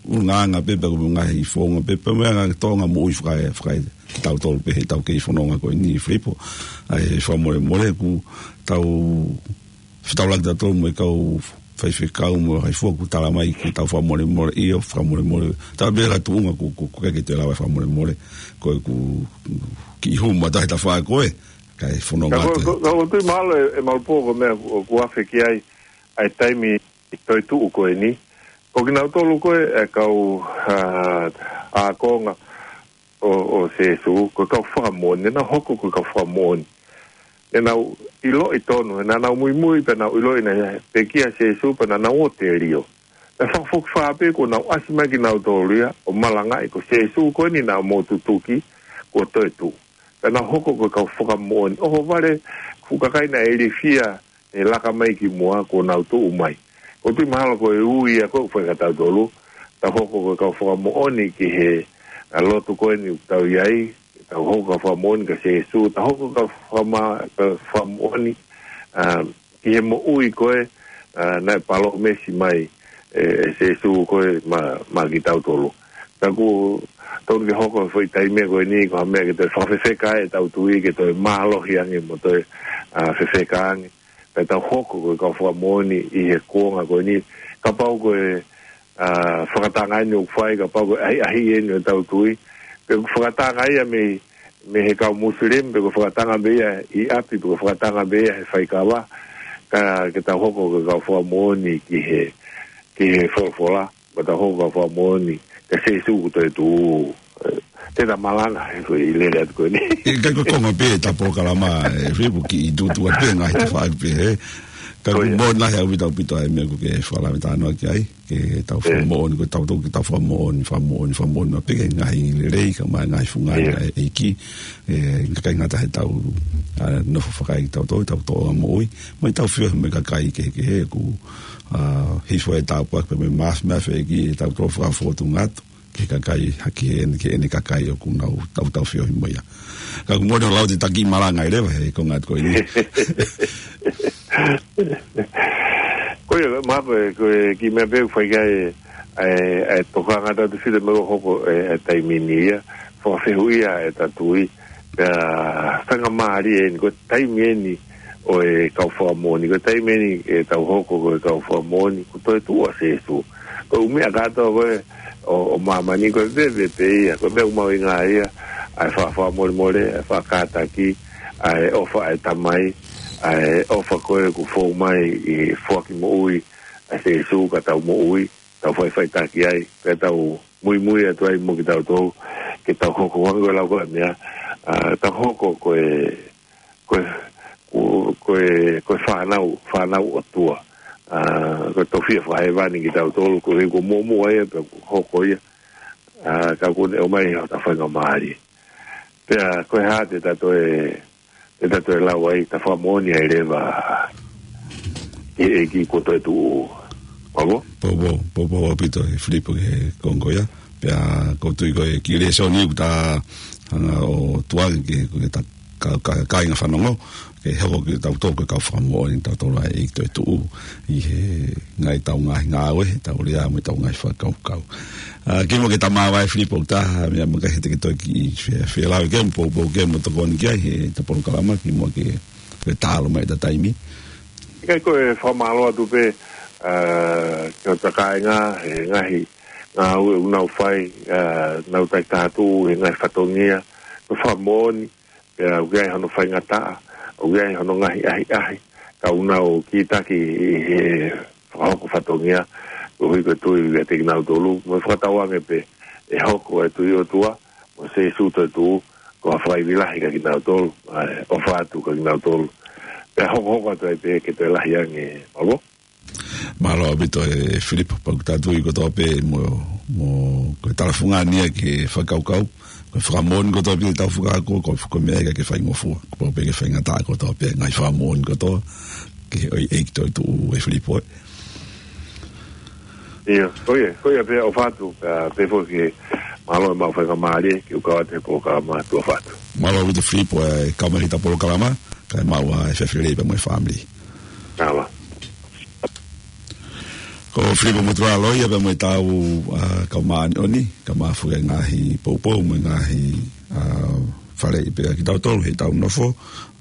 ʻulungaanga pē, pe ko e ngaahi founga pē, pe mo e ngaahi tōʻonga moʻui faka-, faka-, kitautolu pē heʻetau kei fononga ko eni Filipo. ʻA e fakamolemole ʻoku tau fetaulaki tautolu mo e kau faifekau mo e kakai fua ʻoku tala mai ke tau fakamolemole, ʻio fakamolemole. Tau pē ha tuʻunga ʻoku, ʻoku, ʻoku ʻikai ke toe lava e fakamolemole. Ko e ʻoku kiʻi hū mai tahi tafaʻaki ko ē. Kae fononga Ka ko, atu. ko, ko, ko tui mahalo e, e malu pō ko e meʻa ʻoku, ʻoku afe ki ai, ʻa e taimi toetuʻu ko eni. Ko kinautolu ko e, e kau, ā, ākonga ʻo, ʻo Sēsū, ko e kau fakamoʻoni, naʻa nau hoko ko e kau fakamoʻoni. Naʻa nau ʻiloʻi tonu, naʻa nau muimui pea nau ʻiloʻi naʻe pekia ʻa Sēsū pea naʻa nau ō telio. Naʻe fakafokifā pē kuo nau ʻasi mai kinautolu ia, ʻo malangaʻi ko Sēsū ko eni naʻa mou tutuki, kuo toetuʻu. Pea nau hoko ko e kau fakamoʻoni. ʻOhovale, fuʻu kakai naʻe ilifia, ʻe laka mai ki muʻa kuo nau tuʻu mai. Ko tui mahalo ko e ui ia ko e fai kia tautolu, tau hoko ko e kau fakamoʻoni ki he, ā, lotu ko eni ʻoku tau ʻi ai, tau hoko kau fakamoʻoni kia Sēsū, tau hoko kau fakama-, kau fakamoʻoni, ā, ki he moʻui ko ē, ā, naʻe palōmesi mai, ʻe, ʻe Sēsū ko ē ma-, maʻa kitautolu. Ka ʻoku totonu ke hoko foʻi taimi ko eni, ko ha meʻa ke toe fakafefeka ai ʻetau tui, ke toe mālohi ange mo toe, ā, fefeka ange. Pea tau hoko ko e kau fakamoʻoni ʻi he kuonga ko eni. Kapau ko e, ā, fakatanga eni ʻoku fai, kapau ko e ʻahiʻahi eni ʻo ʻetau tui. Pe ko e fakatanga ia mei, mei he kau Muslim, pe ko e fakatanga pē ia ʻi ʻapi, pe ko e fakatanga pē ia he faikava. Ka ke tau hoko ko e kau fakamoʻoni ki he, ki he folofola. Pea tau hoko kau fakamoʻoni kia Sēsū kuo toetuʻu. Ē, te ta malanga, he ko e lele atu ko eni. ʻIkai ko e konga pē ʻeta polokalama, ē, Filipo, kiʻi tuʻutuʻu atu pē ngaahi tafaʻaki pē, ē. Ka ʻoku moʻoni lahi ʻaupito ʻaupito ʻa e meʻa ʻoku ke fakalave talanoa ki ai, ke tau fakamoʻoni, ko tautolu ke tau fakamoʻoni, fakamoʻoni, fakamoʻoni maʻu pē ki he ngaahi lelei, kae ʻumaʻā e ngaahi fungani ʻa e ʻEiki, ē, ʻikai ngata heʻetau, ā, nofo fakaeʻetautolu, ʻetau tōʻonga moʻui, mo ʻetau feohi mo e kakai kehekehe, ʻoku, ā, hifo e tāpuaki pea mo e māfimafi ʻa e ʻEiki ʻi heʻetau tō fakafotunga atu ki he kakai, hake eni ki heʻene kakai ʻoku nau tau tau feohi mo ia. Ka ʻoku moʻoni ʻoku lau atu ʻeta kiʻi malanga ʻi leva he konga atu ko eni. Ko ia, mahalo ko e, ko e kiʻi meʻa pē ʻoku fai ki ai ʻa e, ʻa e tokanga atu Filipo, meʻa ʻoku hoko ʻi he taimi ni ia, fakafehuʻia ʻeta tui, pea faingamālie eni, ko e taimi eni ʻo e kau fakamoʻoni, ko e taimi eni ʻetau hoko ko e kau fakamoʻoni, kuo toetuʻu ʻa Sēsū. Ko e ʻū meʻa kātoa ko ē ʻo, ʻo māmani ko e veve pē ia, ko e meʻa ʻoku mahuʻinga ia, ʻa e faʻa fakamolemole, ʻa e faʻa kātaki, ʻa e ʻofa ʻa e Tamai, ʻa e ʻofa ko ē kuo fou mai ʻi he foaki moʻui ʻa Sēsū ka tau moʻui, tau faʻifaʻitaki ai, pea tau muimui atu ai mo kitautolu, ke tau hoko hangē ko e lau ko ē meʻa, ā, tau hoko ko e, ko e, ko, ko e, ko e fānau, fānau ʻOtua. Ā, ko e tofiʻa fakahēvani kitautolu, ko e, ko e muʻomuʻa ia, pea kuo hoko ia, ā, ka kuo ne ʻomai hota faingamālie. Pea, ko e hā te ta toe, te ta toe lau ai, ta fakamoʻoni ai leva ki he ʻEiki kuo toetuʻu. Pabo? Pabo, pabo ʻaupito ʻe Filipo ki he konga ko ia. Pea ʻoku ou tui ko e kiʻi lēsoni ʻoku ta hanga ʻo tuku ange ki he, ki he ta ka, ka, kāinga fanongo, ke hoko kitautolu ko e kau fakamoʻoni tautolu ʻa e ʻEiki toetuʻu ʻi he ngaahi, ʻetau ngaahi ngāue, ʻetau lea mo ʻetau ngaahi fakakaukau. Ā, kimuʻa ke ta māvae Filipo, ʻoku taha meʻa makehe te ke toe kiʻi fe-, felāveʻi mo poupou mo tokoni ki ai heʻeta polokalama, kimuʻa ke, ke talu mai ʻeta taimi. ʻIkai, ko e fakamālō atu pē, ā, ki hota kāinga, he ngaahi ngāue ʻoku nau fai, ā, nau takitaha atu he ngaahi fatongia, ko e fakamoʻoni, pea ʻoku ʻi ai hono faingataʻa, ʻoku ʻi ai hono ngaahi ʻahiʻahi, ka ʻoku nau kītaki ʻi he fakahoko fatongia, koeʻuhi ko e tui ʻiate kinautolu, mo e fakatauange pē ʻe hoko e tui ʻOtua, mo Sēsū toetuʻu, ko ha fakaivia lahi kia kinautolu, ʻa e ʻofa atu kia kinautolu. Pea hokohoko atu ai pē ke toe lahi ange, ʻo Mālō ʻaupito ʻe Filipo, pea ʻoku ta tui kotoa pē mo, mo ko e talafungani ia ki he fakakaukau, ko e fakamoʻoni kotoa pē ʻetau fakakaukau, ko, ko e meʻa ia ʻikai ke faingofua, kuo pau pē ke faingataʻa kotoa pē ngaahi fakamoʻoni kotoa, ki he ʻEiki toetuʻu ʻe Filipo ē. ʻIo, ko ia, ko ia pē ʻofa atu, ā, pehē foki, mālō e maʻu faingamālie, ke u kau atu he polokalama, tuʻa ʻofa atu. Mālō ʻaupito Filipo, ē, kau mai heʻeta polokalama, kae maʻu ā e efiafi lelei pea mo e fāmili. Mālō. Ko Filipo Motuʻaloia pea mo ʻetau, ā, kau māʻoniʻoni, kau maʻu e ngaahi poupou mo e ngaahi, ā, faleʻi pē ʻa kitautolu heʻetau nofo,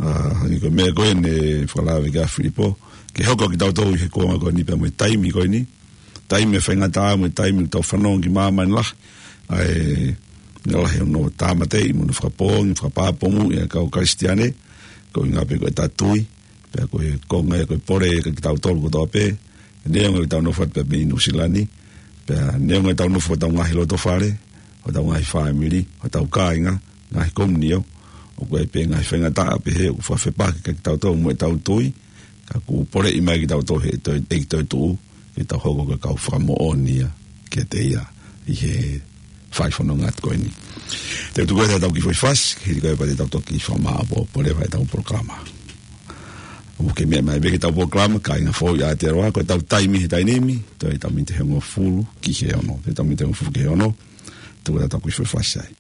ā, hangē ko e meʻa ko ē naʻe fakalave ki ai ʻa Filipo, ke hoko kitautolu ʻi he kuonga ko eni pea mo e taimi ko eni, taimi ʻe faingataʻa mo e taimi ʻoku tau fanongo ki māmani lahi, ʻa e, ʻa e lahi hono tāmateʻi mo hono fakapoongi, fakapāpū mo e kau Kalisitiane, Ko e ʻuhinga pē ko ʻetau tui, pea ko e konga ia ko e pole kiate kitautolu kotoa pē, neongo ʻetau nofo atu pē mei Nuʻusila ni, pea neongo ʻetau nofo ʻi hotau ngaahi loto fale, hotau ngaahi fāmili, hotau kāinga, ngaahi komiunitī, ʻoku ʻi ai pē ngaahi faingataʻa pehē ʻoku fakafepaki kiate kitautolu mo ʻetau tui, ka ʻoku poleʻi mai kitautolu ʻe he toe, ʻe he toetuʻu, ke tau hoko ko e kau fakamoʻoni ia kiate ia ʻi he fai fononga atu ko eni. Te u tuku atu ʻetau kiʻi foʻi fasi, hili ko ia pea te tau toki fakamāʻopoʻopo leva ʻetau polokalama. ʻOku ke meʻa mai pē ki heʻetau polokalama, Kāinga Foʻou ʻi Aotearoa, ko ʻetau taimi he taimi ni, toe ʻetau miniti ʻe hongofulu ki he ono. Toe ʻetau miniti ʻe hongofulu ki he ono, tuku atu ʻetau kiʻi foʻi fasi ai.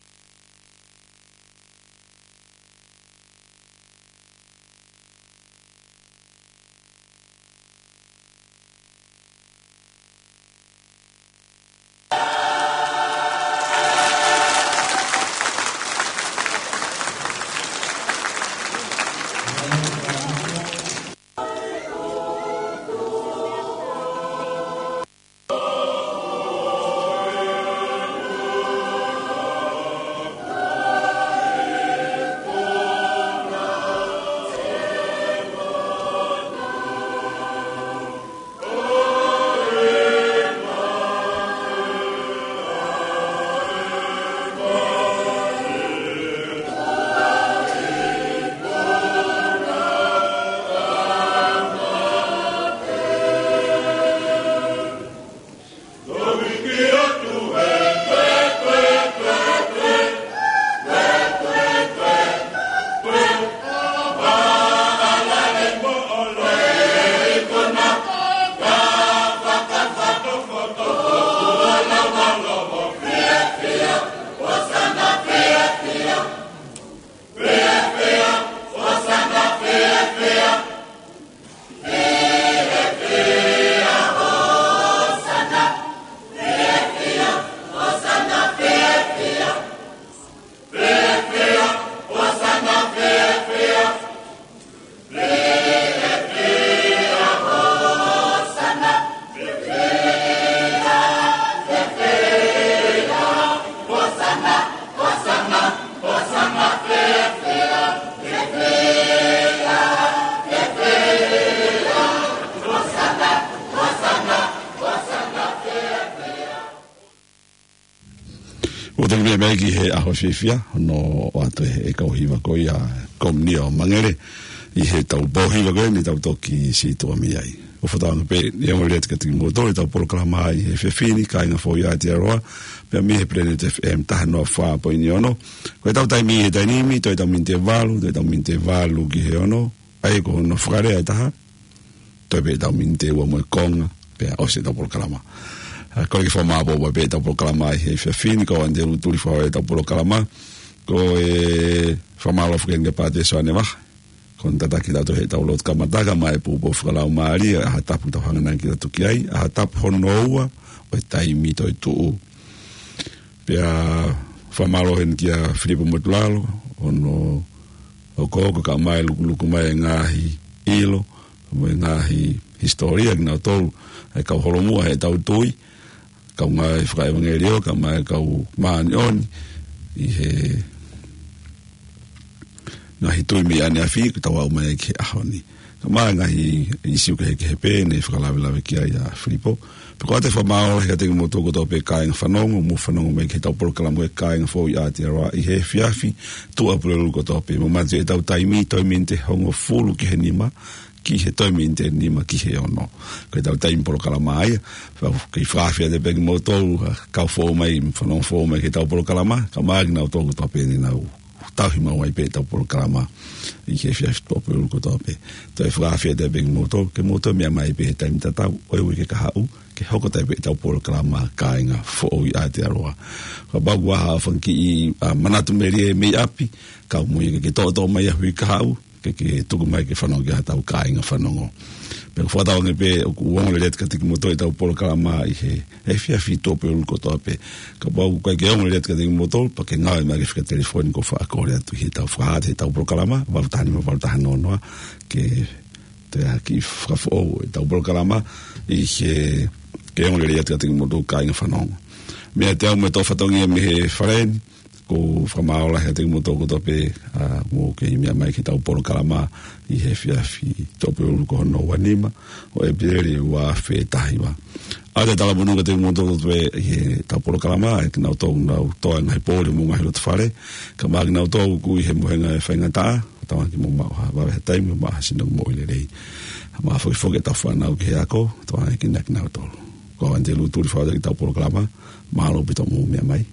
ʻOku tau meʻa mai ki he ʻaho fiefia, hono ʻoatu ʻe he kau hiva ko ia, Komiunitī ʻo Mangele, ʻi heʻetau pō hiva ko eni, tau toki sītuʻa mei ai. ʻOku fakatauange pē, ʻe ongo lelei atu kiate kimoutolu ʻetau polokalama ʻi he efiafi ni, Kāinga Foʻou ʻi Aotearoa, pea mei he Planet F M taha noa fā poini ono. Ko ʻetau taimi he taimi ni, toe ʻetau miniti ʻe valu, toe ʻetau miniti ʻe valu ki he ono, ʻa ia ko hono fakalea ʻe taha, toe pē ʻetau miniti ʻe ua mo e konga, pea ʻosi ʻetau polokalama. ʻA, kole ke fakamāʻopoʻopo pē ʻetau polokalama ʻi he efiafi ni, ko Andrew Tuli fakaʻosi ʻetau polokalama, ko e fakamālō foki kia Pātele Soane Vaha, ko hono tataki kitautolu heʻetau lotu kamata kae ʻumaʻā e poupou fakalaumālie, ʻa e ʻaho tapu ʻoku tau hanga nai ke tau tuku ai, ʻaho tapu hono ua ʻo e taimi toetuʻu. Pea fakamālō heni kia Filipo Motulalo, hono hokohoko kae ʻumaʻā e lukuluku mai e ngaahi ʻilo, mo e ngaahi hisitōlia kinautolu, ʻa e kau holomua heʻetau tui, kau ngāue fakaʻevangeliō, kae ʻumaʻā e kau māʻoniʻoni, ʻi he ngaahi tui mei ʻaneafi, ʻoku tau aʻu mai ki he ʻaho ni. Kae ʻumaʻā e ngaahi ʻīsiu kehekehe pē ne fakalavelave ki ai ʻa Filipo. Pea ʻoku ou ʻoatu e fakamālō lahi kiate kimoutolu kotoa pē kāinga fanongo, mou fanongo mai ki heʻetau polokalama ko e Kāinga Foʻou ʻi Aotearoa ʻi he efiafi, tuʻapulelulu kotoa pē. Mou manatu ʻetau taimi, toe miniti ʻe hongofulu ki he nima, ki he toe miniti ʻe nima ki he ono. Ko ʻetau taimi polokalama ia, pea ʻoku ou fakaafeʻi atu pē kimoutolu, ʻa, kau foʻou mai, fanongo foʻou mai ki heʻetau polokalama, kae ʻumaʻā kinautolu kotoa pē ne nau tauhi maʻu ai pē ʻetau polokalama ʻi he efiafi, tuʻapulelulu kotoa pē. Toe fakaafeʻi atu pē kimoutolu, ke mou toe meʻa mai pē he taimi tatau ʻo e uike kahaʻu, ke hoko atu ai pē ʻetau polokalama Kāinga Foʻou ʻi Aotearoa. Kapau ʻoku ʻi ai ha fanga kiʻi, ʻa, manatu melie mei ʻapi, kau muʻa ke ke toʻotoʻo mai ʻi he uike kahaʻu, ke ke tuku mai ke fanongo ki ai hotau kāinga fanongo. Pea ʻoku fakatauange pē ʻoku ongo lelei atu kiate kimoutolu ʻetau polokalama ʻi he efiafi, tuʻapulelulu kotoa pē. Kapau ʻoku ʻikai ke ongo lelei atu kiate kimoutolu, pea ke ngāue mai ki he fika telefoni ʻoku ou faʻa kole atu ʻi heʻetau fakahā atu heʻetau polokalama, valu taha nima valu taha noa noa, ke toe ʻai ke fakafoʻou ʻetau polokalama ʻi he, ke ongo lelei atu kiate kimoutolu kāinga fanongo. Meiate au mo e toʻu fatongia mei he fale ni, ʻOku ou fakamālō lahi atu kiate kimoutolu kotoa pē, ʻa, ʻoku mou kei meʻa mai ki heʻetau polokalama ʻi he efiafi Tuʻapulelulu ko hono ua nima ʻo ʻEpeleli ua afe taha hiva. ʻOatu e talamonū kiate kimoutolu kotoa pē ʻi heʻetau polokalama, ʻa kinautolu ʻoku nau tō ʻa e ngaahi pō ʻi homou ngaahi loto fale, kae ʻumaʻā kinautolu ʻoku ʻi he mohenga ʻo e faingataʻa, tauange ke mou maʻu ha vave ha taimi, maʻu ha sino moʻui lelei. Mo e fokifoki ʻetau fānau ki he ako, tauange ke na kinautolu. Ko au ʻAnitelū Tuli, foutua ʻetau polokalama, mālō ʻaupito hoʻomou meʻa mai.